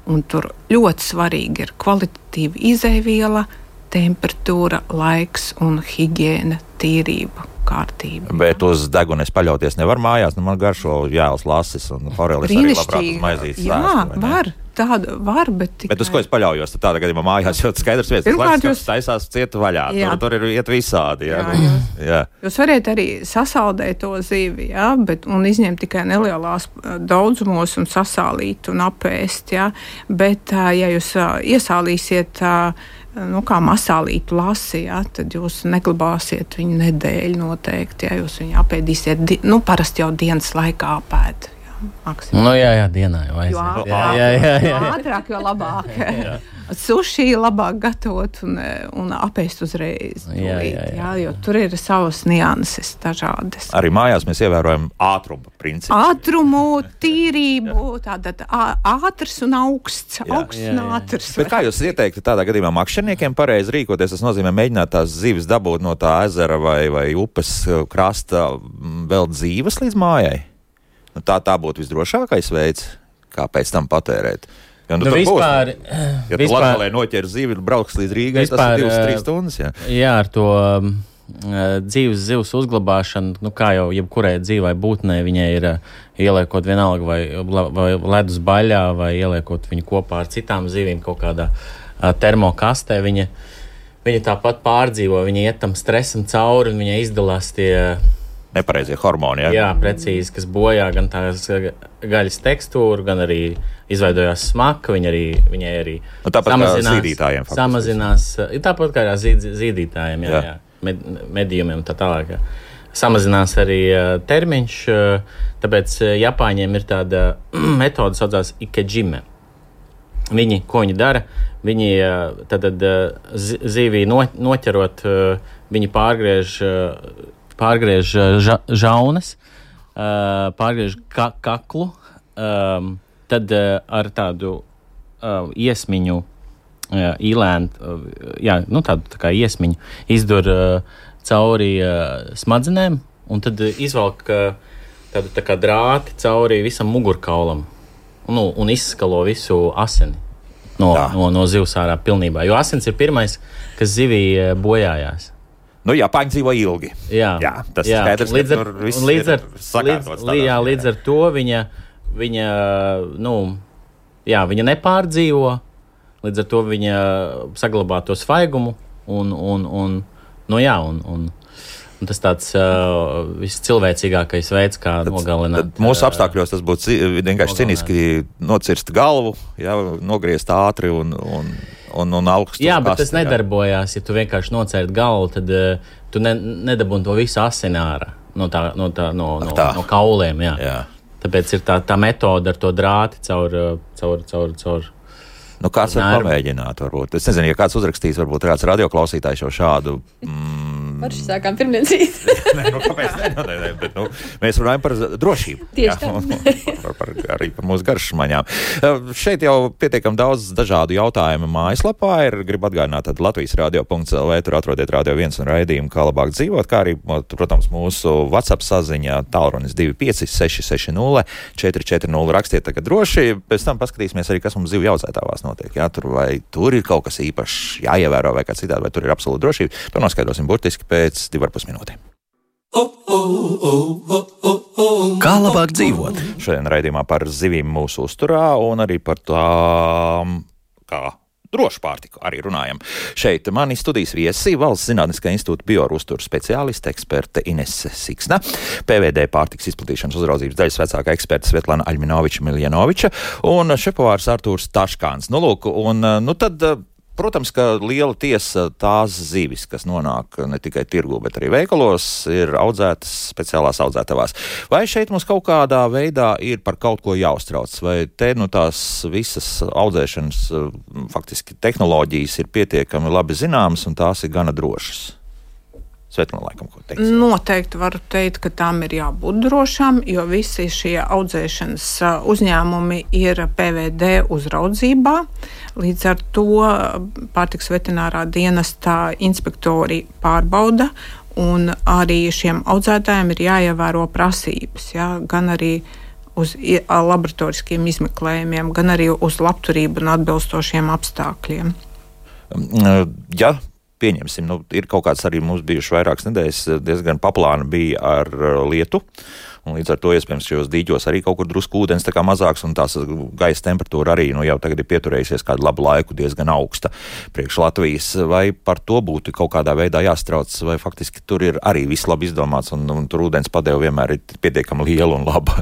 un tur ļoti svarīgi ir kvalitatīva izejviela, temperatūra, laiks un higiēna, tīrība. Kārtība. Bet uz degunes paļauties nevar mājās, nu man garšo jēlas lasis un forelis arī labprāt uz maizītes jā, stāstu. Jā, var, tāda var, bet tikai... Bet uz ko es paļaujos, tad tādā gadījumā mājās jau skaidrs vietas, Pirmkārt, tas jūs... taisās ciet vaļā, tur, tur ir iet visādi. Jā, jā, jūs, jā. Jūs variet arī sasaldēt to zivi, jā, bet, un izņemt tikai nelielās daudzumos un sasālīt un apēst, jā, bet, ja jūs iesālīsiet nu, kā masālītu lasi, ja, tad jūs neglabāsiet viņu nedēļu noteikti, ja jūs viņu apēdīsiet, di- nu, parasti jau dienas laikā apēd. Ja, nu, jā, jā, dienā jau aiziet. Jo ātrāk, jā, jā, jā, jā. jo ātrāk, jo labāk. Suši labāk gatavot un, un apēst uzreiz. Jā, jā, jā. Jā, jo tur ir savas nianses dažādas. Arī mājās mēs ievērojam ātrumu principu. Ātrumu, tīrību, tātad ātrs un augsts, Jā. augsts Jā, un jā. ātrs. Bet kā jūs ieteiktu tādā gadījumā makšķerniekiem pareizi rīkoties? Tas nozīmē mēģināt tās zivis dabūt no tā ezera vai, vai upes krasta vēl dzīves līdz mājai? Nu, tā, tā būtu visdrošākais veids, kā pēc tam patērēt. Jo, nu, Nu, tur vispār, būs, ja tu vispār, Latgalē noķer zivi un brauks līdz Rīgai, tas vispār, ir divas, trīs stundas. Jā. jā, ar to um, dzīves zivs uzglabāšanu, nu, kā jau jebkurai dzīvai būtnei, viņai ir uh, ieliekot vienalga vai, vai ledus baļā, vai ieliekot viņu kopā ar citām zivīm kaut kādā uh, termokastē, viņa, viņa tāpat pārdzīvo, viņa iet tam stresam cauri un viņa izdalās tie Nepareizie hormoni, jā? Jā, precīzi, kas bojā gan tās gaļas tekstūru, gan arī izveidojās smaka, viņa arī, viņai arī Nu, tāpat kā zīdītājiem. faktiski. Samazinās, tāpat kā zīd, zīdītājiem, jā, Jā. jā, med, medījumiem un tā tālāk. Jā. Samazinās arī uh, termiņš, uh, tāpēc uh, Japāņiem ir tāda metode, saucās ikejime. Viņi, ko viņi dara, viņi uh, tad, tad uh, zīvī no, noķerot, uh, viņi pārgriež uh, pārgriež ža, žaunas, uh, pārgriež ka, kaklu, um, tad uh, ar tādu uh, iesmiņu, uh, īlēnu, uh, jā, nu tādu tā kā iesmiņu, izdur uh, cauri uh, smadzenēm, un tad uh, izvelk uh, tādu tā kā drāti cauri visam mugurkaulam, un, nu, un izskalo visu asini no, no, no zivs ārā pilnībā, jo asins ir pirmais, kas zivī uh, bojājās. Nu, Japāņi dzīvo ilgi. Jā, jā tas jā. ir skaidrs, līdz ar, ka tur viss līdz ar, ir sakārtots. Līdz, jā, līdz ar to viņa, viņa, nu, jā, viņa nepārdzīvo, līdz ar to viņa saglabā to svaigumu un, un, un, nu jā, un, un, un tas tāds uh, viscilvēcīgākais veids, kā tad, nogalināt. Tad mūsu apstākļos tas būtu vienkārši ciniski nocirst galvu, jā, nogriezt ātri un... un Un, un augstu jā, bet kasti, tas nedarbojās. Ja tu vienkārši nocērt galvu, tad uh, tu ne, nedabūni to visu asini ārā no, tā, no, tā, no, no, tā. no kauliem. Jā. Jā. Tāpēc ir tā, tā metode ar to drāti caur, caur, caur, caur Nu, kāds var pamēģināt, varbūt. Es nezinu, ja kāds uzrakstīs, varbūt kāds radioklausītājs jau šādu. Mm, Parši sākām pirmdienas. Nē, nu, kāpēc ne? Nu, nē, nē, bet, nu, mēs runājam par drošību. Tieši tā. Un, un par, par, arī par mūsu garšmaņām. Uh, šeit jau pietiekam daudz dažādu jautājumu mājaslapā ir. Gribu atgādināt, tad Latvijas radio punkts el vē, tur atrodiet Radio viens un raidījumu, kā labāk dzīvot, kā arī, protams, mūsu WhatsApp saziņā tālrunis divi pieci seši seši nulle četri četri nulle. Rakstiet tagad droši, pēc tam paskatīsimies arī, kas mums zivju audzētavās notiek. Jā, tur vai tur ir kaut kas īpašs jāievēro vai kā citādi, vai tur ir absolūta drošība. To noskaidrosim burtiski pēc divu ar pus minūtēm. Kā labāk dzīvot? Šodien raidījumā par zivīm mūsu uzturā un arī par tām, kā drošu pārtiku arī runājam. Šeit mani studijas viesi Valsts Zinātniskā institūta biouzturu speciāliste eksperte Inese Siksna, P V D pārtikas izplatīšanas uzraudzības daļas vecākā eksperte Svetlana Aļminoviča-Miljanoviča un šefpavārs Artūrs Taškāns. Nu, lūk, un, nu tad, protams, ka liela tiesa tās zivis, kas nonāk ne tikai tirgu, bet arī veikalos, ir audzētas speciālās audzētavās. Vai šeit mums kaut kādā veidā ir par kaut ko jāuztrauc? Vai te nu tās visas audzēšanas faktiski tehnoloģijas ir pietiekami labi zināmas un tās ir gana drošas? Svetlana, laikam, ko teiks? Noteikti varu teikt, ka tām ir jābūt drošām, jo visi šie audzēšanas uzņēmumi ir P V D uzraudzībā. Līdz ar to pārtikas veterinārā dienestā inspektori pārbauda, un arī šiem audzētājiem ir jāievēro prasības, ja, gan arī uz laboratoriskiem izmeklējumiem, gan arī uz labturību un atbilstošiem apstākļiem. Ja pieņemsim, nu, ir kaut kāds arī mums bijuši vairākas nedēļas, diezgan paplāna bija ar lietu, un līdz ar to iespējams šajos dīķos arī kaut kur drusku ūdens tā kā mazāks, un tās gaisa temperatūra arī, nu, jau tagad ir pieturējusies kādu labu laiku diezgan augsta priekš Latvijas. Vai par to būtu kaut kādā veidā jāstrauc, vai faktiski tur ir arī viss labi izdomāts, un, un tur ūdens padeva vienmēr ir pietiekami liela un laba?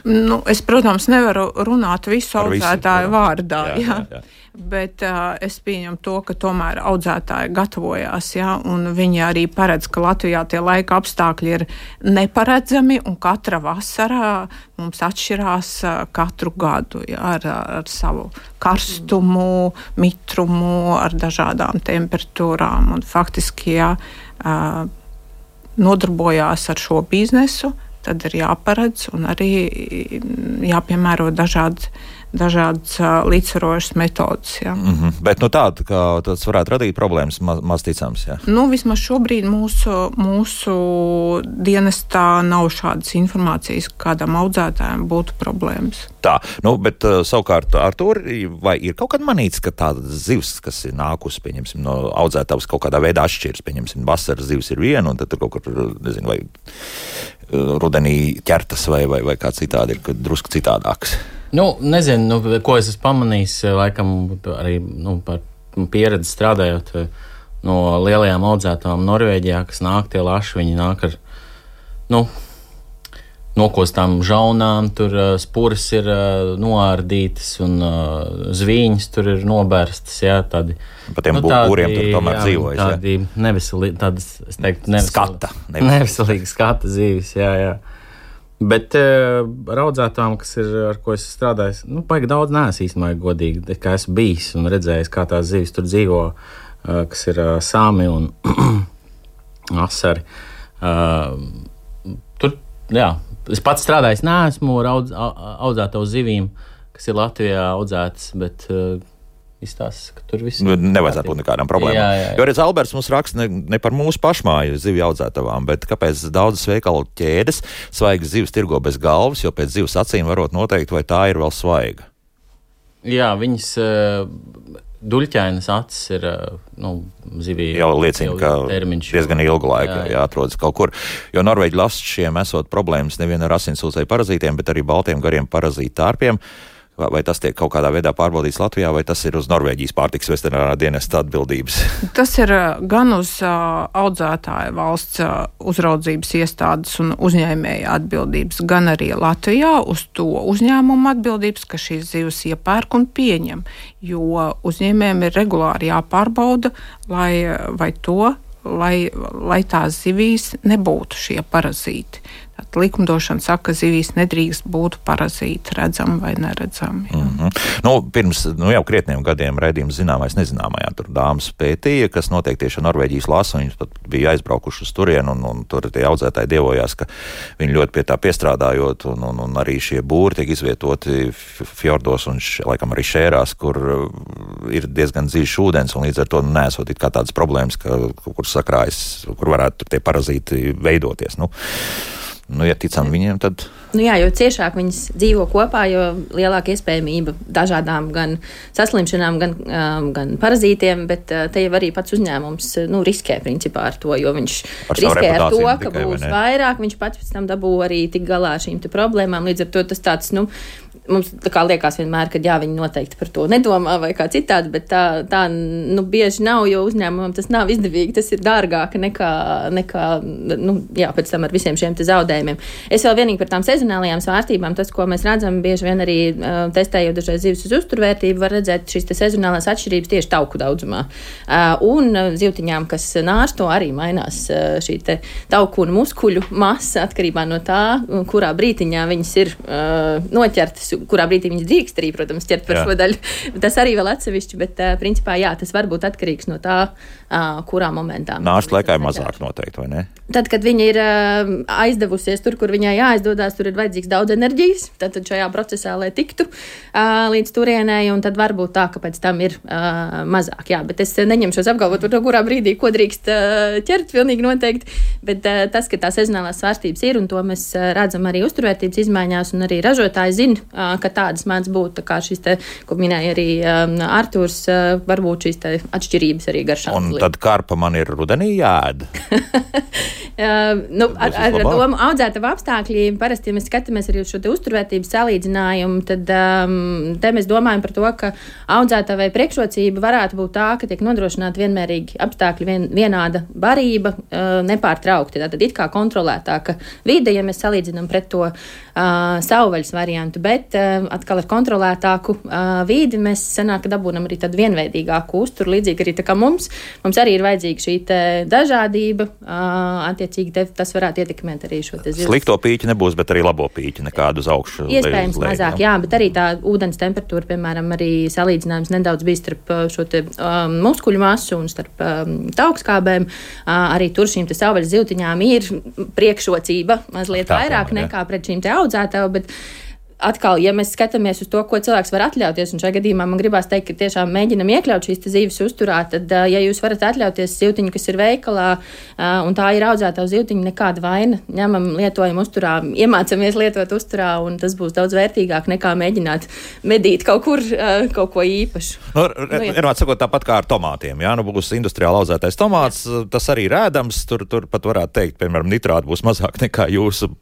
Nu, es, protams, nevaru runāt visu audzētāju vārdā, jā, jā. jā. Bet uh, es pieņemu to, ka tomēr audzētāji gatavojās, ja, un viņi arī paredz, ka Latvijā tie laika apstākļi ir neparedzami, un katra vasara mums atšķirās uh, katru gadu, ja, ar, ar savu karstumu, mitrumu, ar dažādām temperatūrām, un faktiski, ja uh, nodarbojās ar šo biznesu, tad ir jāparedz un arī jāpiemēro dažādi dažādas uh, līdzsvarošas metodas. Ja. Mm-hmm. Bet nu tāda, ka tas varētu radīt problēmas, maz, maz ticams. Ja. Nu, vismaz šobrīd mūsu, mūsu dienestā nav šādas informācijas, kādam audzētājam būtu problēmas. Tā, nu, bet uh, savukārt Artūr, vai ir kaut kad manīts, ka tāda zivs, kas ir nākusi, pieņemsim, no audzētavas kaut kādā veidā atšķirs, pieņemsim, vasaras zivs ir viena, un tad tur kaut kur, nezinu, vai uh, rudenī ķertas vai, vai, vai kā citādi ir drusku citādāks? Nu, nezinu, nu, ko es esmu pamanījis, laikam arī nu, par pieredzi strādājot no lielajām audzētām Norvēģijā, kas nāk tie laši, viņi nāk ar, nu, nokostām žaunām, tur spuras ir noārdītas un zvīņas tur ir nobērstas, jā, tādi. Pa tiem nu, būriem tur tomēr jā, dzīvojas, jā. Tādi neveselīgi, tādas, es teiktu, neveselīgi. Skata. Neveselīgi skata zīves, jā, jā. Bet uh, ar audzētām, kas ir, ar ko es strādāju, nu, baigi daudz neesmu īstenībā godīgi, kā esmu bijis un redzējis, kā tās zivis tur dzīvo, uh, kas ir uh, sāmi un asari. Uh, tur, jā, es pats strādājis neesmu ar audz, audzētavu zivīm, kas ir Latvijā audzētas, bet uh, izstāsta, ka tur viss ir. Nevajadzētu būt nekādām problēmām. Jā, jā, jā. Jo redz, Alberts mums raksta ne, ne par mūsu pašmāju zivju audzētavām, bet kāpēc daudzas veikalu ķēdes svaigas zivs tirgo bez galvas, jo pēc zivs acīm varot noteikt, vai tā ir vēl svaiga. Jā, viņas uh, duļķainas acis ir, uh, nu, zivī. Jau liecina, ka termiņš, diezgan ilgu laiku jā, jā. jāatrodas kaut kur. Jo Norvēģi lasšiem esot problēmas nevien ar asinsūcēju parazītiem, bet arī baltiem gariem parazītu tārpiem. Vai, vai tas tiek kaut kādā veidā pārbaudīts Latvijā, vai tas ir uz Norvēģijas pārtikas veterinārā dienesta atbildības? Tas ir gan uz uh, audzētāja valsts uh, uzraudzības iestādes un uzņēmēja atbildības, gan arī Latvijā uz to uzņēmumu atbildības, ka šīs zivs iepērk un pieņem, jo uzņēmējiem ir regulāri jāpārbauda, lai, vai to, lai, lai tās zivīs nebūtu šie parazīti. Tātad likumdošana saka, ka zivīs nedrīkst būt parazīti, redzami vai neredzami. Mm -hmm. Nu, pirms nu, jau krietniem gadiem raidījums zināmais nezināmajā tur dāmas pētīja, kas notiek tieši Norvēģijas lasu, viņas pat bija aizbraukuši uz turienu, un, un tur tie audzētāji dievojās, ka viņi ļoti pie tā piestrādājot, un, un, un arī šie būri tiek izvietoti fjordos un, š, laikam, arī šērās, kur ir diezgan dziļš ūdens, un līdz ar to nesot it kā tādas problēmas, ka, kur sakrājas, kur varētu tie parazīti veidoties. Nu, Nu, ja ticam viņiem, tad... Nu jā, jo ciešāk viņas dzīvo kopā, jo lielāka iespējamība dažādām gan saslimšanām, gan, um, gan parazītiem, bet uh, te jau arī pats uzņēmums nu, riskē principā ar to, jo viņš ar riskē ar to, ka tikai, būs vairāk, viņš pats pēc tam dabū arī tik galā ar šīm te problēmām. Līdz ar to tas tāds, nu, mums tā kā liekas vienmēr, ka jā, viņi noteikti par to nedomā vai kā citādi, bet tā, tā nu, bieži nav, jo uzņēmumam tas nav izdevīgi, tas ir dārgāk nekā, nekā nu, jā, pēc tam ar visiem šiem te zaudējumiem. Es vēl vienīgi par tām sezonālajām svārstībām, tas, ko mēs redzam, bieži vien arī uh, testējot dažreiz zivis uz uzturvērtību, var redzēt šīs te sezonālās atšķirības tieši tauku daudzumā. Uh, un uh, zivtiņām, kas nārsto, arī mainās uh, šī te tauku un muskuļu masa atkarībā no tā, kurā brītiņā viņas ir uh, noķertas, kurā brīdī viņas drīkst arī, protams, ķert par jā. Šo daļu. Tas arī vēl atsevišķi, bet uh, principā jā, tas var būt atkarīgs no tā, uh, kurā momentā. Nāšu laikā ir mazāk noteikti, vai ne? Tad, kad viņa ir uh, aizdevusies tur, kur viņai jāaizdodās, tur ir vajadzīgs daudz enerģijas, tad šajā procesā, lai tiktu uh, līdz turienei, un tad var būt tā, ka pēc tam ir uh, mazāk. Jā, bet es neņemšos apgalvot par to, kurā brīdī, ko drīkst uh, ķert, pilnīgi noteikti, bet uh, tas, ka tā sezonālās svārstības ir, un to mēs uh, redzam arī uzturvērtības izmaiņās, un arī ražotāji zina, uh, ka tādas mēdz būt, tā kā šis te, ko minēja arī um, Artūrs, uh, varbūt šīs te atšķirības arī garšā. Un tad karpa man ir rudenī jāēd. Uh, nu, ar, ar domu audzētavu apstākļi, parasti, ja mēs skatāmies arī uz šo te uzturvērtības salīdzinājumu, tad um, te mēs domājam par to, ka audzētavai priekšrocība varētu būt tā, ka tiek nodrošināta vienmērīgi apstākļi, vien, vienāda barība, uh, nepārtraukti. Tātad it kā kontrolētāka vide, ja mēs salīdzinām pret to uh, savvaļas variantu, bet uh, atkal ar kontrolētāku uh, vidi mēs sanāk, ka dabūnam arī tādu vienveidīgāku uzturu, līdzīgi arī tā kā mums. Mums arī ir vajadzīga šī te dažādība, uh, attiecīgi te, tas varētu ietekmēt arī šo te zivs. Slikto pīķi nebūs, bet arī labo pīķi nekādu uz augšu. Iespējams lej, mazāk, jā, bet arī tā ūdens temperatūra, piemēram, arī salīdzinājums nedaudz bija starp šo te um, muskuļu masu un starp um, taukskābēm. Uh, arī tur šīm te savvaļas zivtiņām ir priekšrocība mazliet tā, vairāk jā. Nekā pret šīm te audzētavu, bet atkal, ja mēs skatāmies uz to, ko cilvēks var atļauties, un šajā gadījumā man gribās teikt, ka tiešām mēģinam iekļaut šīs zivis uzturā, tad, ja jūs varat atļauties zivtiņu, kas ir veikalā, un tā ir audzētava zivtiņa, nekāda vaina, ņemam, lietojam uzturā, iemācamies lietot uzturā, un tas būs daudz vērtīgāk nekā mēģināt medīt kaut kur kaut ko īpašu. Nu, nu, ir atsakot tāpat kā ar tomātiem, jā, nu būs industriāli audzētais tomāts, jā. Tas arī rēdams, tur, tur pat varētu teikt, piemēram, nitrāti būs mazāk nekā jūsu,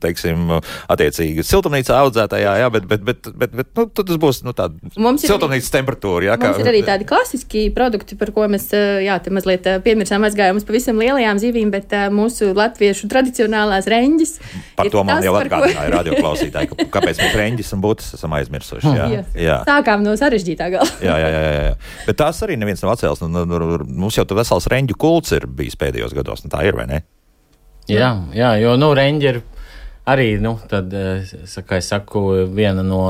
teiksim, attiecīgi siltumnīcā audzētajā, jā, bet, bet, bet, bet, bet nu, tas būs nu, tāda siltumnīcas temperatūra. Jā, kā, mums ir arī tādi klasiski produkti, par ko mēs jā, te mazliet piemirsām aizgājām uz pavisam lielajām zivīm, bet mūsu latviešu tradicionālās reņģis. Par to man tas, jau atgādināja ko... radioklausītāji, ka, kāpēc mēs reņģis un būtas esam aizmirsuši. Jā, jā. Jā. Sākām no sarežģītā gala. jā, jā, jā, jā. Bet tās arī neviens nav atcēlis. Nu, nu, mums jau vesels reņģu kults ir bijis pēdējos gados, un tā ir, vai ne? Jā, jā, jo, nu, reņģi ir arī, nu, tad, kā es saku, viena no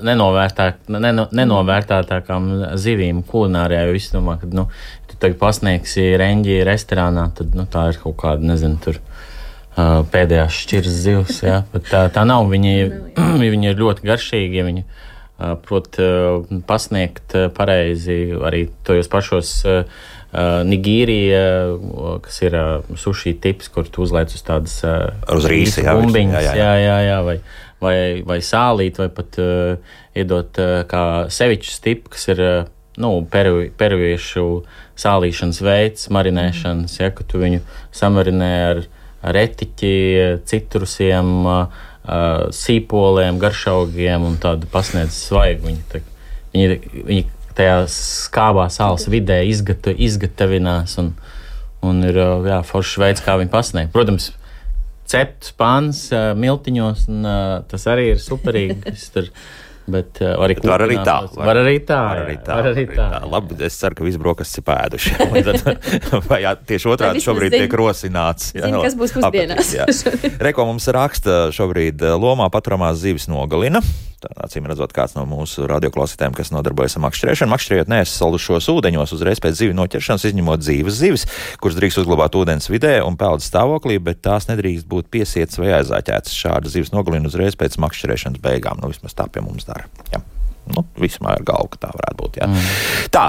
nenovērtāk, neno, nenovērtātākām zivīm kulinārijā, jo visi domā, ka, nu, tu tagad pasniegsi reņģi restorānā, tad, nu, tā ir kaut kāda, nezinu, tur uh, pēdējās šķiras zivs, jā, bet tā, tā nav, viņi, viņi ir ļoti garšīgi, ja viņi uh, prot uh, pasniegt uh, pareizi arī tojos pašos uh, Uh, Nigīrija, uh, kas ir uh, sushi tips, kur tu uzliec uz tādas uh, uz rīsa, jā, bumbiņas, jā, jā, jā, jā, vai, vai, vai sālīt, vai pat uh, iedot uh, kā sevičs tipu, kas ir uh, nu, peru, peruviešu sālīšanas veids, marinēšanas, ja, ka tu viņu samarinē ar, ar etiķi, citrusiem, uh, uh, sīpoliem, garšaugiem un tādu pasniedz svaigu. Viņi, tā, viņi, viņi tajā skābā sāls vidē izgata, izgatavinās un, un ir jā, foršs veids, kā viņi pasniegt. Protams, cepts pāns miltiņos, un tas arī ir superīgi. Tur, bet arī var arī tā. Var arī tā. Var arī tā. Var arī tā. tā. Labi, es ceru, ka visi brokastis ir pēduši. Vai jā, tieši otrādi šobrīd zin, tiek rosināts. Jā, zin, kas būs pusdienās. Reko mums raksta šobrīd lomā paturamās zivis nogalina. Tā, acīm redzot, kāds no mūsu radioklausītājiem, kas nodarbojas ar makšķerēšanu. Makšķerējot nesasalušos ūdeņos uzreiz pēc zivju noķeršanas, izņemot dzīves zivis, kuras drīkst uzglabāt ūdens vidē un peldas stāvoklī, bet tās nedrīkst būt piesietas vai aizāķētas. Šāda zivs nogalina uzreiz pēc makšķerēšanas beigām. Nu, vismaz tā pie mums dara. Jā. Nu, vismaz ar galvu, ka tā varētu būt. Jā. Mm. Tā,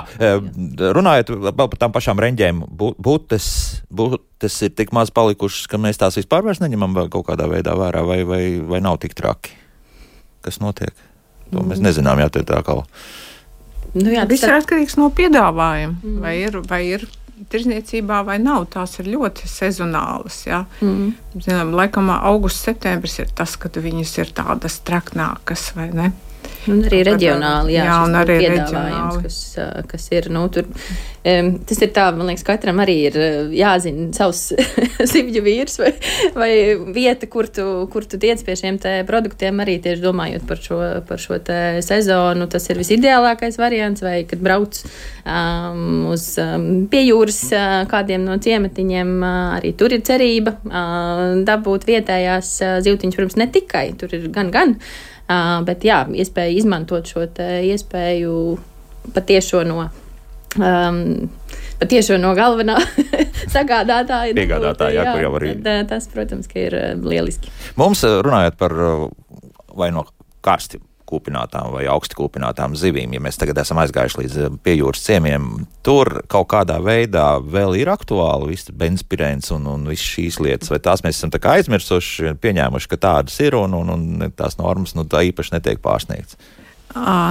runājot vēl par tām pašām reņģēm, būtes, būtes ir tik maz palikušas, ka mēs tās vispār vairs neņemam vēl kaut kādā veidā vērā, vai, vai, vai nav tik traki? Kas notiek? To mēs nezinām, jā, te tā kā. Nu jā, viss ir atkarīgs no piedāvājuma. Mm. Vai ir, vai ir tirzniecībā vai nav. Tās ir ļoti sezonālas. Ja? Mm. Zinām, laikam augusts, septembris ir tas, kad viņas ir tādas traknākas, vai ne? Un arī reģionāli, jā, jā un arī piedāvājums, kas, kas ir, nu, tur, um, tas ir tā, man liekas, katram arī ir jāzina savs zivju vīrs vai, vai vieta, kur tu, kur tu tiec pie šiem te produktiem, arī tieši domājot par šo, par šo te sezonu, tas ir visideālākais variants, vai kad brauc um, uz um, pie jūras uh, kādiem no ciematiņiem, uh, arī tur ir cerība uh, dabūt vietējās uh, zivtiņas, protams, ne tikai, tur ir gan, gan, Uh, bet jā, iespēja izmantot šo te iespēju patiešo no, um, patiešo no galvenā sagādātāja. Piegādātāja, jā, kur jau arī. Tad, tas, protams, ka ir lieliski. Mums runājot par vai no karsti kūpinātām vai augsti kūpinātām zivīm, ja mēs tagad esam aizgājuši līdz piejūras ciemiem, tur kaut kādā veidā vēl ir aktuāli viss benzpirēns un, un viss šīs lietas, vai tās mēs esam tā kā aizmirsuši, pieņēmuši, ka tādas ir un, un, un tās normas nu, tā īpaši netiek pārsniegts?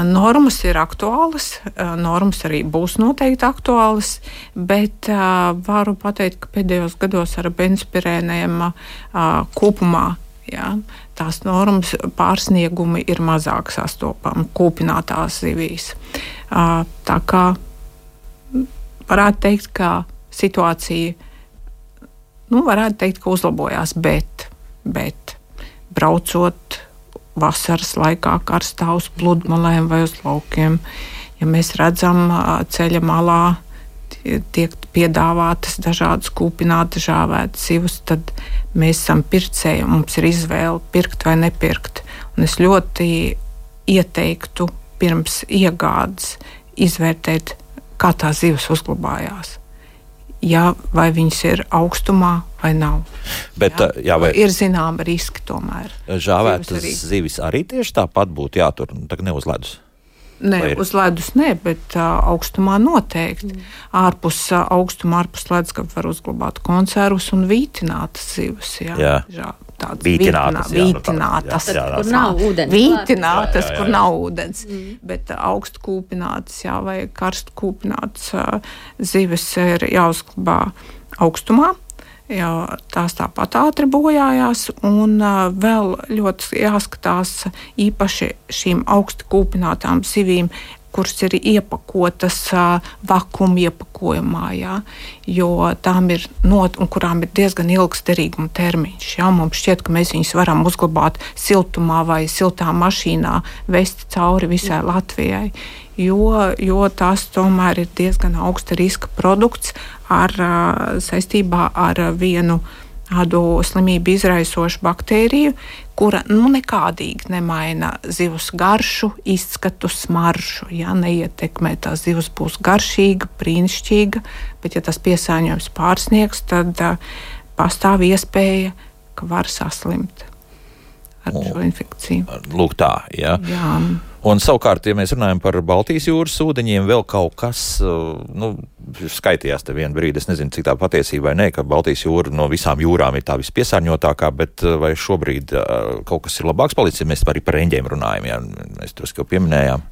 Normas ir aktuālas, normas arī būs noteikti aktuālas, bet uh, varu pateikt, ka pēdējos gados ar benzpirēniem uh, kopumā jā, tās normas pārsniegumi ir mazāk sastopami kūpinātās zivīs. Tā kā varētu teikt, ka situācija, nu, varētu teikt, ka uzlabojās, bet, bet braucot vasaras laikā karstā uz pludmalēm vai uz laukiem, ja mēs redzam ceļa malā tiek piedāvātas dažādas kūpinātas žāvētas zivs, tad mēs esam pircēji un mums ir izvēle pirkt vai nepirkt. Un es ļoti ieteiktu pirms iegādes izvērtēt, kā tā zivs uzglabājās. Ja, vai viņas ir augstumā vai nav. Bet, jā, jā, vai ir zināma riski tomēr. Žāvētas zivis, zivis arī tieši tāpat būtu jātur, tā ne uz ledus? Nē, uz ledus nē, bet uh, augstumā noteikti. Mm. Ārpus uh, augstuma, ārpus ledusskapa var uzglabāt konservus un vītinātas zivs. Jā, jā. Žā, tādas vītinātas. Vītinātas, jā, jā, kur nav ūdens. Vītinātas, jā, jā, jā. kur nav ūdens. Mm. Bet uh, augstu kūpinātas, jā, vai karstu kūpinātas uh, zivis ir jāuzglabā augstumā. Jā, tās tāpat ātri bojājās, un uh, vēl ļoti jāskatās īpaši šīm augsti kūpinātām zivīm, kuras ir iepakotas uh, vakuma iepakojumā, jā, jo tām ir not, un kurām ir diezgan ilgs derīguma termiņš. Jā, mums šķiet, ka mēs viņus varam uzglabāt siltumā vai siltā mašīnā, vest cauri visai Latvijai. Jo, jo tās tomēr ir diezgan augsta riska produkts ar, saistībā ar vienu tādu slimību izraisošu baktēriju, kura nu, nekādīgi nemaina zivs garšu, izskatu, smaržu. Ja, neietekmē, tā zivs būs garšīga, brīnišķīga, bet ja tas piesārņojums pārsniegs, tad uh, pastāv iespēja, ka var saslimt ar šo infekciju. Lūk tā, jā. Jā. Un savukārt, ja mēs runājam par Baltijas jūras ūdeņiem, vēl kaut kas, nu, skaitījās te vienu brīdi, es nezinu, cik tā patiesība vai nē, ka Baltijas jūra no visām jūrām ir tā vispiesārņotākā, bet vai šobrīd kaut kas ir labāks palicis, ja mēs arī par reņģiem runājam, jā, mēs drusku jau pieminējām.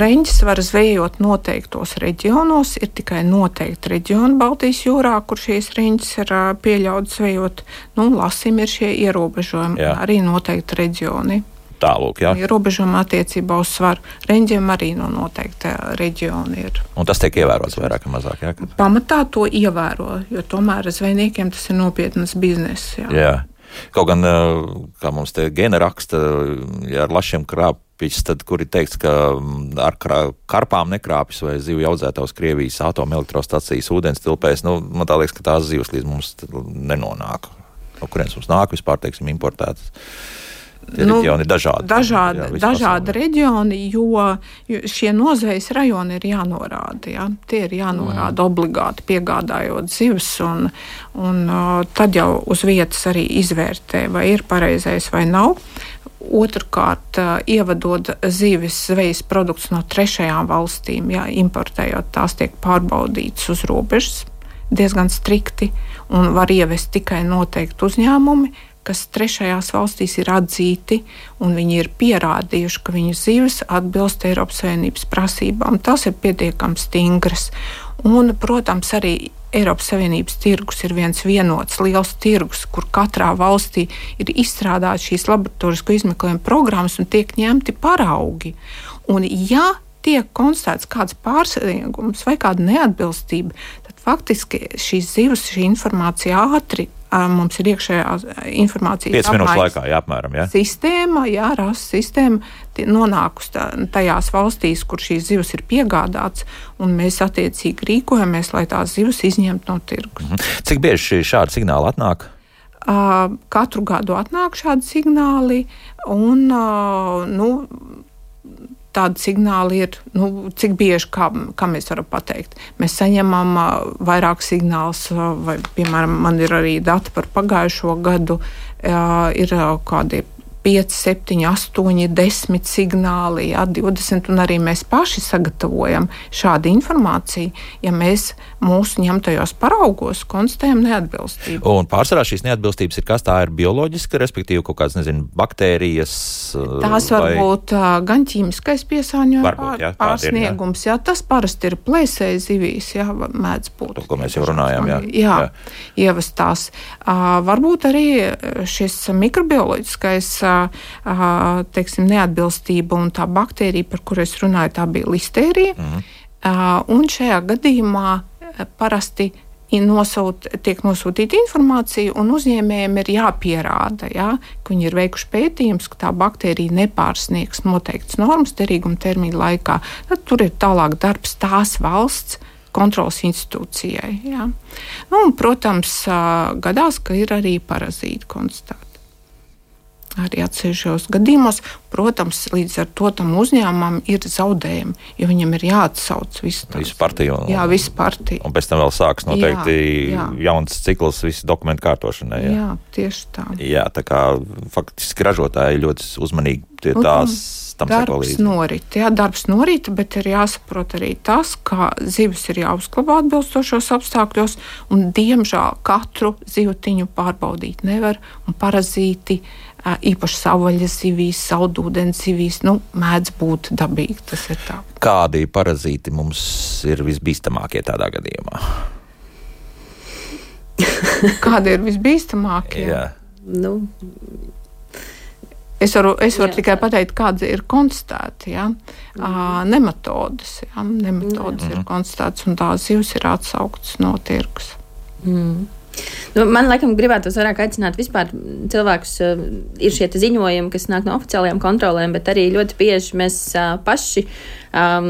Reņģis var zvejot noteiktos reģionos, ir tikai noteikti reģioni Baltijas jūrā, kur šīs reņģis ir pieļauts zvejot. Nu, lasim ir šie ierobežojumi, jā. Arī noteikti reģioni. Tālūk, jā. Ierobežojumi attiecībā uz svaru. Reņģiem arī no noteikta reģiona ir. Un tas tiek ievērots vairāk vai mazāk, jā? Pamatā to ievēro, jo tomēr zvejniekiem tas ir nopietnas bizness, jā. Jā. Kaut gan, kā mums te gena raksta, ja ar lašiem krāpjas, tad kur ir teikts, ka ar karpām nekrāpjas vai zivju audzētājs Krievijas atomelektrostacijas ūdens tilpēs, nu, man tā liekas, ka tās zivs līdz mums nenonāk. No kurienes mums nāk vispār, teiksim, importētas. Tie nu, reģioni ir dažādi. Dažādi, jā, dažādi reģioni, jo, jo šie nozvejas rajoni ir jānorāda. Ja? Tie ir jānorāda mm. obligāti piegādājot zivs, un, un uh, tad jau uz vietas arī izvērtē, vai ir pareizais vai nav. Otrkārt, uh, ievadot zivis zvejas produktus no trešajām valstīm, ja, importējot, tās tiek pārbaudītas uz robežas diezgan strikti, un var ievest tikai noteikti uzņēmumi, kas trešajās valstīs ir atzīti, un viņi ir pierādījuši, ka viņu zivis atbilst Eiropas Savienības prasībām. Tas ir pietiekami stingrs. Un, protams, arī Eiropas Savienības tirgus ir viens vienots liels tirgus, kur katrā valstī ir izstrādāts šīs laboratorisko izmeklējuma programmas un tiek ņemti paraugi. Un, ja tiek konstatēts kāds pārsniegums vai kāda neatbilstība, tad faktiski šīs zivis, šī informācija ātri mums ir iekšējā informācijas piecas minūtes laikā, jā, apmēram, jā. Sistēma, jā, rasa sistēma nonākus tajās valstīs, kur šīs zivs ir piegādāts, un mēs attiecīgi rīkojamies, lai tās zivs izņemtu no tirgus. Mhm. Cik bieži šādi signāli atnāk? Uh, katru gadu atnāk šādi signāli, un, uh, nu, tādi signāli ir, nu, cik bieži, kā, kā mēs varam pateikt. Mēs saņemam uh, vairāk signālus, uh, vai, piemēram, man ir arī dati par pagājušo gadu, uh, ir uh, kādi pieci, septiņi, astoņi, desmit signāli, jā, divdesmit, un arī mēs paši sagatavojam šādu informāciju, ja mēs mūsu ņemtajos paraugos konstatējam neatbilstību. Un pārsvarā šīs neatbilstības ir kas? Tā ir bioloģiska, respektīvi kaut kāds, nezinu, baktērijas? Tās var vai... būt uh, gan ķīmiskais piesārņojums, pār, jā, pārsniegums, jā. jā, tas parasti ir plēsēji zivīs, jā, mēdz būt. To, ko mēs jau runājām, jā. Jā, jā. ievestās. Uh, varbūt arī šis mikrobioloģiskais teiksim, neatbilstība un tā baktērija, par kuru es runāju, tā bija listērija. Mm. Un šajā gadījumā parasti nosūt, tiek nosūtīta informācija, un uzņēmējiem ir jāpierāda, jā, ka viņi ir veikuši pētījums, ka tā baktērija nepārsniegs noteikts normas derīguma termiņa laikā. Tad tur ir tālāk darbs tās valsts kontrolas institūcijai. Jā. Nu, un, protams, gadās, ka ir arī parazīti konstatēti. Arī atsevišķos gadījumos, protams, līdz ar to tam uzņēmumam ir zaudējumi, jo viņam ir jāatsauc visu, visu partiju. Un, jā, visu partiju. Un pēc tam vēl sāks noteikti jā, jā. jauns cikls visu dokumentu kārtošanai. Jā, jā tieši tā. Jā, tā kā faktiski ražotāji ļoti uzmanīgi tie nu, tās tam seko darbs līdzi. Norit, jā, darbs norit, bet ir jāsaprot arī tas, ka zivis ir jāuzglabā atbilstošos apstākļos, un diemžēl katru zivtiņu pārbaudīt nevar, un parazīti īpaši savvaļas zivīs, saldūdens zivīs, nu, mēdz būt dabīgi, tas ir tā. Kādi parazīti mums ir visbīstamākie tādā gadījumā? Kādi ir visbīstamākie? Jā. Nu, Es varu, es varu jā, tikai pateikt, kādas ir konstatēti. Ja? Mm. Uh, nematodas ja? nematodas mm. ir konstatētas, un tās zivs ir atsauktas no tirgus. Mm. Nu, man laikam gribētos vairāk aicināt vispār cilvēkus, uh, ir šie ziņojumi, kas nāk no oficiālajām kontrolēm, bet arī ļoti bieži mēs uh, paši um,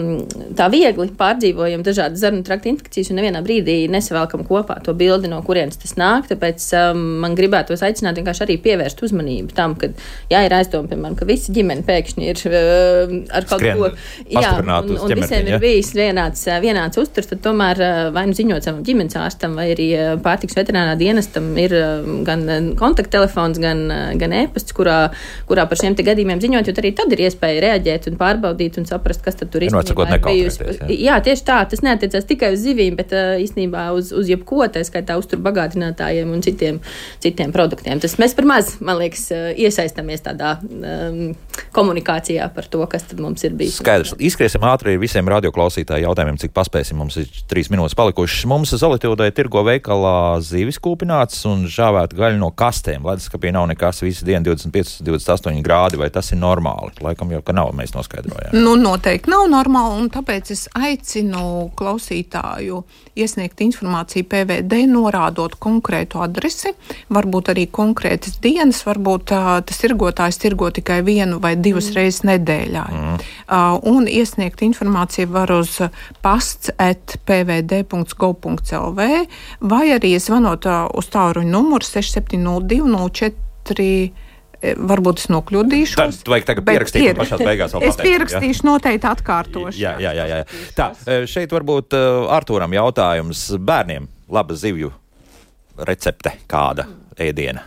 tā viegli pārdzīvojam dažādas zarnu trakta infekcijas un nevienā brīdī nesavelkam kopā to bildi, no kurienes tas nāk, tāpēc um, man gribētos aicināt vienkārši arī pievērst uzmanību tam, ka, jā, ir aizdoma, piemēram, ka visi ģimeni pēkšņi ir uh, ar kaut Skrien, ko, jā, un, un visiem ja? ir bijis vienāds, vienāds uzturs, tad tomēr uh, vai nu ziņot savam ģimenes ārstam, vai arī uh, pārtiks veterinārā dienestam ir uh, gan kontakttelefons, gan, uh, gan e-pasts, kurā, kurā par šiem te gadījumiem ziņot, jo arī tad ir iespēja reaģēt un pārbaudīt un saprast, kas tad tur īstenībā ir bijusi. Jā. jā, tieši tā, tas neatiecās tikai uz zivīm, bet uh, īstenībā uz, uz jebko, tā skaitā uztur bagātinātājiem un citiem, citiem produktiem. Tas mēs par maz, man liekas, uh, iesaistamies tādā um, komunikācijā par to, kas tad mums ir bijis. Skaidrs. Izskriesim ātri visiem radioklausītāju jautājumiem, cik paspēsim. Mums ir trīs minūtes palikušas. Mums Zolitūdai tirgo veikalā zivis kūpināts un žāvēt gaļu no kastēm. Leduskapī nav nekas, visu dienu divdesmit pieci, divdesmit astoņi grādi, vai tas ir normāli? Laikam jau, ka nav, mēs noskaidrojām. Nu, noteikti nav normāli, un tāpēc es aicinu klausītāju iesniegt informāciju P V D, norādot konkrētu adresi, varbūt arī konkrētas dienas, varbūt uh, tas tirgotājs tirgo tikai vienu vai divas mm. reizes nedēļā. Mm. Uh, un iesniegt informāciju var uz pasts at p v d punkts gov punkts l v vai arī zvanot uh, uz tālruņa numuru seši septiņi nulle divi nulle četri. Varbūt es nokļūdīšos. Tad vajag tagad pierakstīt un pašās beigās vēl pateikt. Es pierakstīšu, ja? Noteikti atkārtošu. Jā, jā, jā, jā. Tā, šeit varbūt uh, Artūram jautājums bērniem. Laba zivju recepte, kāda ēdiena?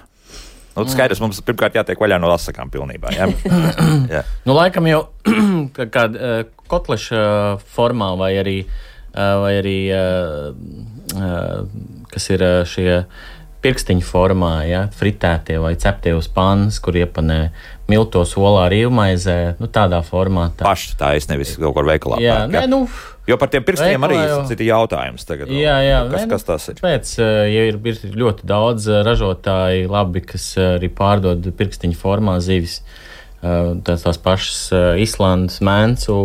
Nu, skaidrs, mums pirmkārt jātiek vaļā no asakām pilnībā. Jā? jā. Nu, laikam jau kāda uh, kotleša formā vai arī, uh, vai arī uh, uh, kas ir uh, šie pirkstiņu formā, ja, fritētie vai ceptie uz pannas, kur iepanē miltos olā rīvmaizē, nu tādā formātā. Paši tā es nevis kaut kur veikalā jā, pērk, ne, ja? nu, Jo par tiem pirkstiem arī jau... citi jautājums tagad. Jā, jā. Kas, ne, kas tas ir? Pēc, ja ir, ir ļoti daudz ražotāji labi, kas arī pārdod pirkstiņu formā zivis, tās, tās pašas Islandes, Mēncu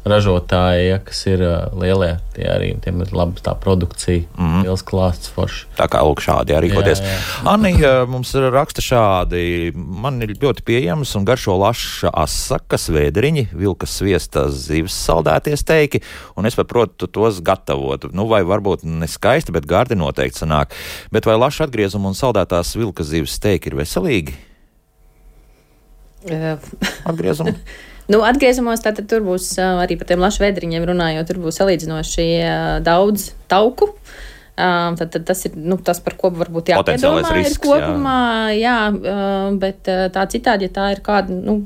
ražotāji, ja, kas ir lielie, tie arī, tiem ir laba tā produkcija, mm. liels klāsts forši. Tā kā lūk šādi jārīkoties. Anni mums raksta šādi, man ir ļoti pieejams un garšo laša asakas, vēdriņi, vilkas sviestas zivis saldētie steiki, un es paprotu tos gatavot. Nu, vai varbūt ne skaisti, bet gardi noteikti sanāk. Bet vai laša atgriezumu un saldētās vilkas zivis steiki ir veselīgi? Atgriezumu? Nu, atgriezumos tātad tur būs arī par tiem lašu vēdriņiem runājot, tur būs salīdzinoši daudz tauku. Tad, tad tas ir nu, tas, par ko varbūt jāpiedomā risks, ir kopumā, jā. jā, bet tā citādi, ja tā ir kāda, nu,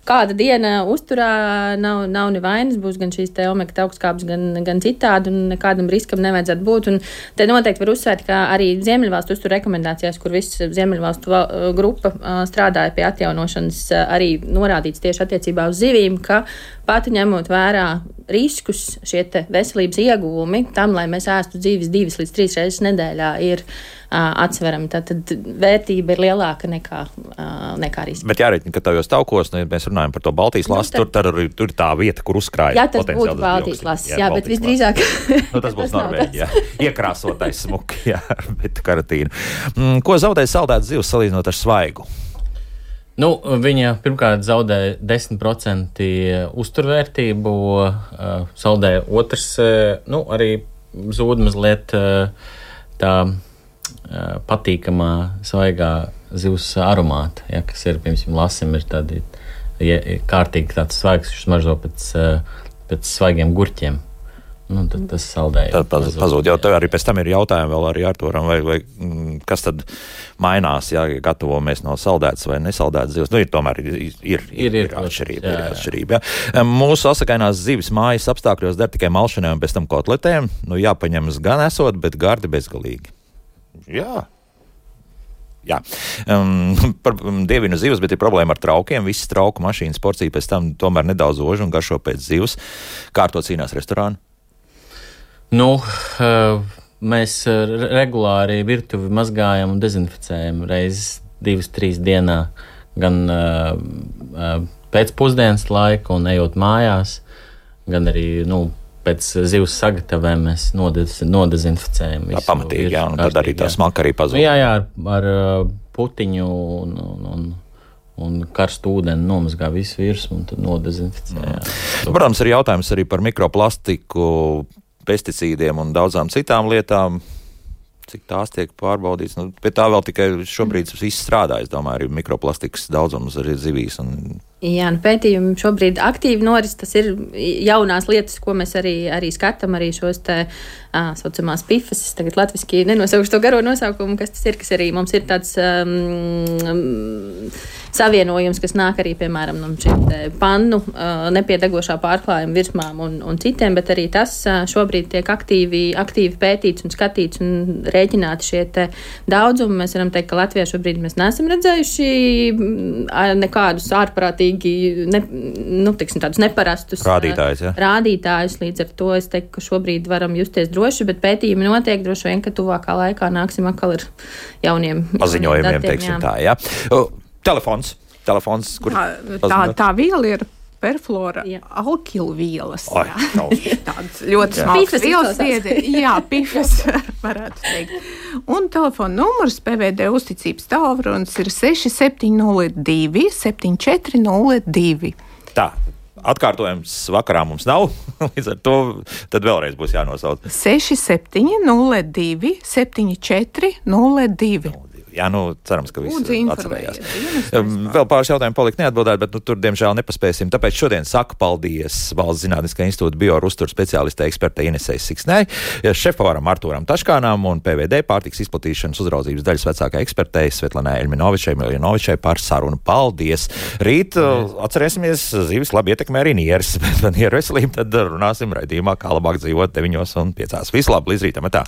kāda diena uzturā, nav, nav nevainas, būs gan šīs te omega augstskābes, gan, gan citādi, un nekādam riskam nevajadzētu būt. Un te noteikti var uzsvērt, ka arī Ziemeļvalstu uzturu rekomendācijās, kur viss Ziemeļvalstu grupa strādāja pie atjaunošanas, arī norādīts tieši attiecībā uz zivīm, ka pati ņemot vērā riskus, šie te veselības ieguvumi tam, lai mēs ēstu dzīves divas līdz trīs reizes nedēļā, ir uh, atsverami. Tātad vērtība ir lielāka nekā, uh, nekā riski. Bet jāreiķina, ka tajos taukos, nu, ja mēs runājam par to Baltijas lasu, nu, tad, tur, tur ir tā vieta, kur uzkrājas. Jā, tas būtu Baltijas lasis, jā, jā, bet visdrīzāk. Nu, tas būs Norvēģijā. Iekrāsotais smuki, jā, bet karatīna. Mm, ko zaudēja saldētas zivs salīdzinot ar svaigu? Nu, viņa pirmkārt zaudēja desmit procenti uzturvērtību, uh, saldēja otrs, uh, nu, arī zūd mazliet uh, tā uh, patīkamā svaigā zivs aromāta, ja, kas ir, piemēram, lasim, ir tādi ja, kārtīgi tāds svaigs, viņš smaržo pēc, uh, pēc svaigiem gurķiem. Nu, tad tas saldēja. Tad paz, pazūd. Jau tev arī pēc tam ir jautājumi vēl arī Arturam, vai, vai kas tad mainās, ja gatavojamies no saldētas vai nesaldētas zivs. Nu, ir tomēr ir, ir, ir, ir, ir atšķirība. Jā, ir atšķirība jā. Mūsu asakainās zivis mājas apstākļos der tikai malšanai un pēc tam kotletēm. Nu, jāpaņemas gan esot, bet gardi bezgalīgi. Jā. Jā, um, par dievinu zivs, bet ir problēma ar traukiem. Visas trauku mašīnas porcija pēc tam tomēr nedaudz ožu un garšo pēc zivs. Kā ar to cīnās restorāni? Nu, mēs regulāri virtuvi mazgājam un dezinficējam reizes divas, trīs dienā, gan pēcpusdienas laika un ejot mājās, gan arī, nu, pēc zivs sagatavēm mēs nodez, nodezinficējam. Tā pamatīgi, jā, un tad arī tā smaka arī pazūd. Jā, jā, ar, ar putiņu un, un, un un karstu ūdeni nomazgā visu virsmu un tad nodezinficē. Mm. Protams, ir jautājums arī par mikroplastiku, pesticīdiem un daudzām citām lietām, cik tās tiek pārbaudīts. Nu, pie tā vēl tikai šobrīd viss strādā, es domāju, arī mikroplastikas daudzums arī zivīs. Un... Jā, nu pētījumi šobrīd aktīvi noris, tas ir jaunās lietas, ko mēs arī, arī skatām, arī šos te ā, saucamās pifas, es tagad latviski nenosaukšu to garo nosaukumu, kas tas ir, kas arī mums ir tāds um, savienojums, kas nāk arī, piemēram, no šiem te pannu uh, nepiedegošā pārklājuma virsmām un, un citiem, bet arī tas uh, šobrīd tiek aktīvi, aktīvi pētīts un skatīts un rēķināti šie te daudzumi. Mēs varam teikt, ka Latvijā šobrīd mēs neesam redzējuši nekādus ārprātīgi, ne, nu, teiksim, tādus neparastus rādītājus, ja? rādītājus. Līdz ar to es teiktu, ka šobrīd varam justies droši, bet pētījumi notiek droši vien, ka tuvākā laikā nāksim atkal ar jauniem paziņojumiem, datiem, teiksim jā. tā, jā. Uh, Telefons. Telefons, kur tā, tā, tā viela ir perfluora alkilvielas. Tāds ļoti smalks vielas viedi. Jā, pifas varētu teikt. Un telefona numurs P V D uzticības tālrunis ir seši septiņi nulle divi septiņi četri nulle divi. Tā. Atkārtojums vakarā mums nav, līdz ar to tad vēlreiz būs jānosauc. seši septiņi nulle divi septiņi četri nulle divi. Jā, nu, cerams, ka visi atcerējās. Vēl pāris jautājumu palika neatbildēt, bet nu, tur, diemžēl, nepaspēsim. Tāpēc šodien saku paldies Valsts Zinātniskā institūta biouzturu speciālistei ekspertei Inesei Siksnei, šefpavaram Artūram Taškānam un P V D pārtikas izplatīšanas uzraudzības daļas vecākai ekspertei Svetlanai Elminovičai, Miljanovičai par sarunu. Paldies! Rīt atcerēsimies, zivis labi ietekmē arī nieres, bet par nieru veselību tad runāsim raidījumā, kā labāk dzīvot deviņos un piecās. Visu labi, līdz rītam, tā!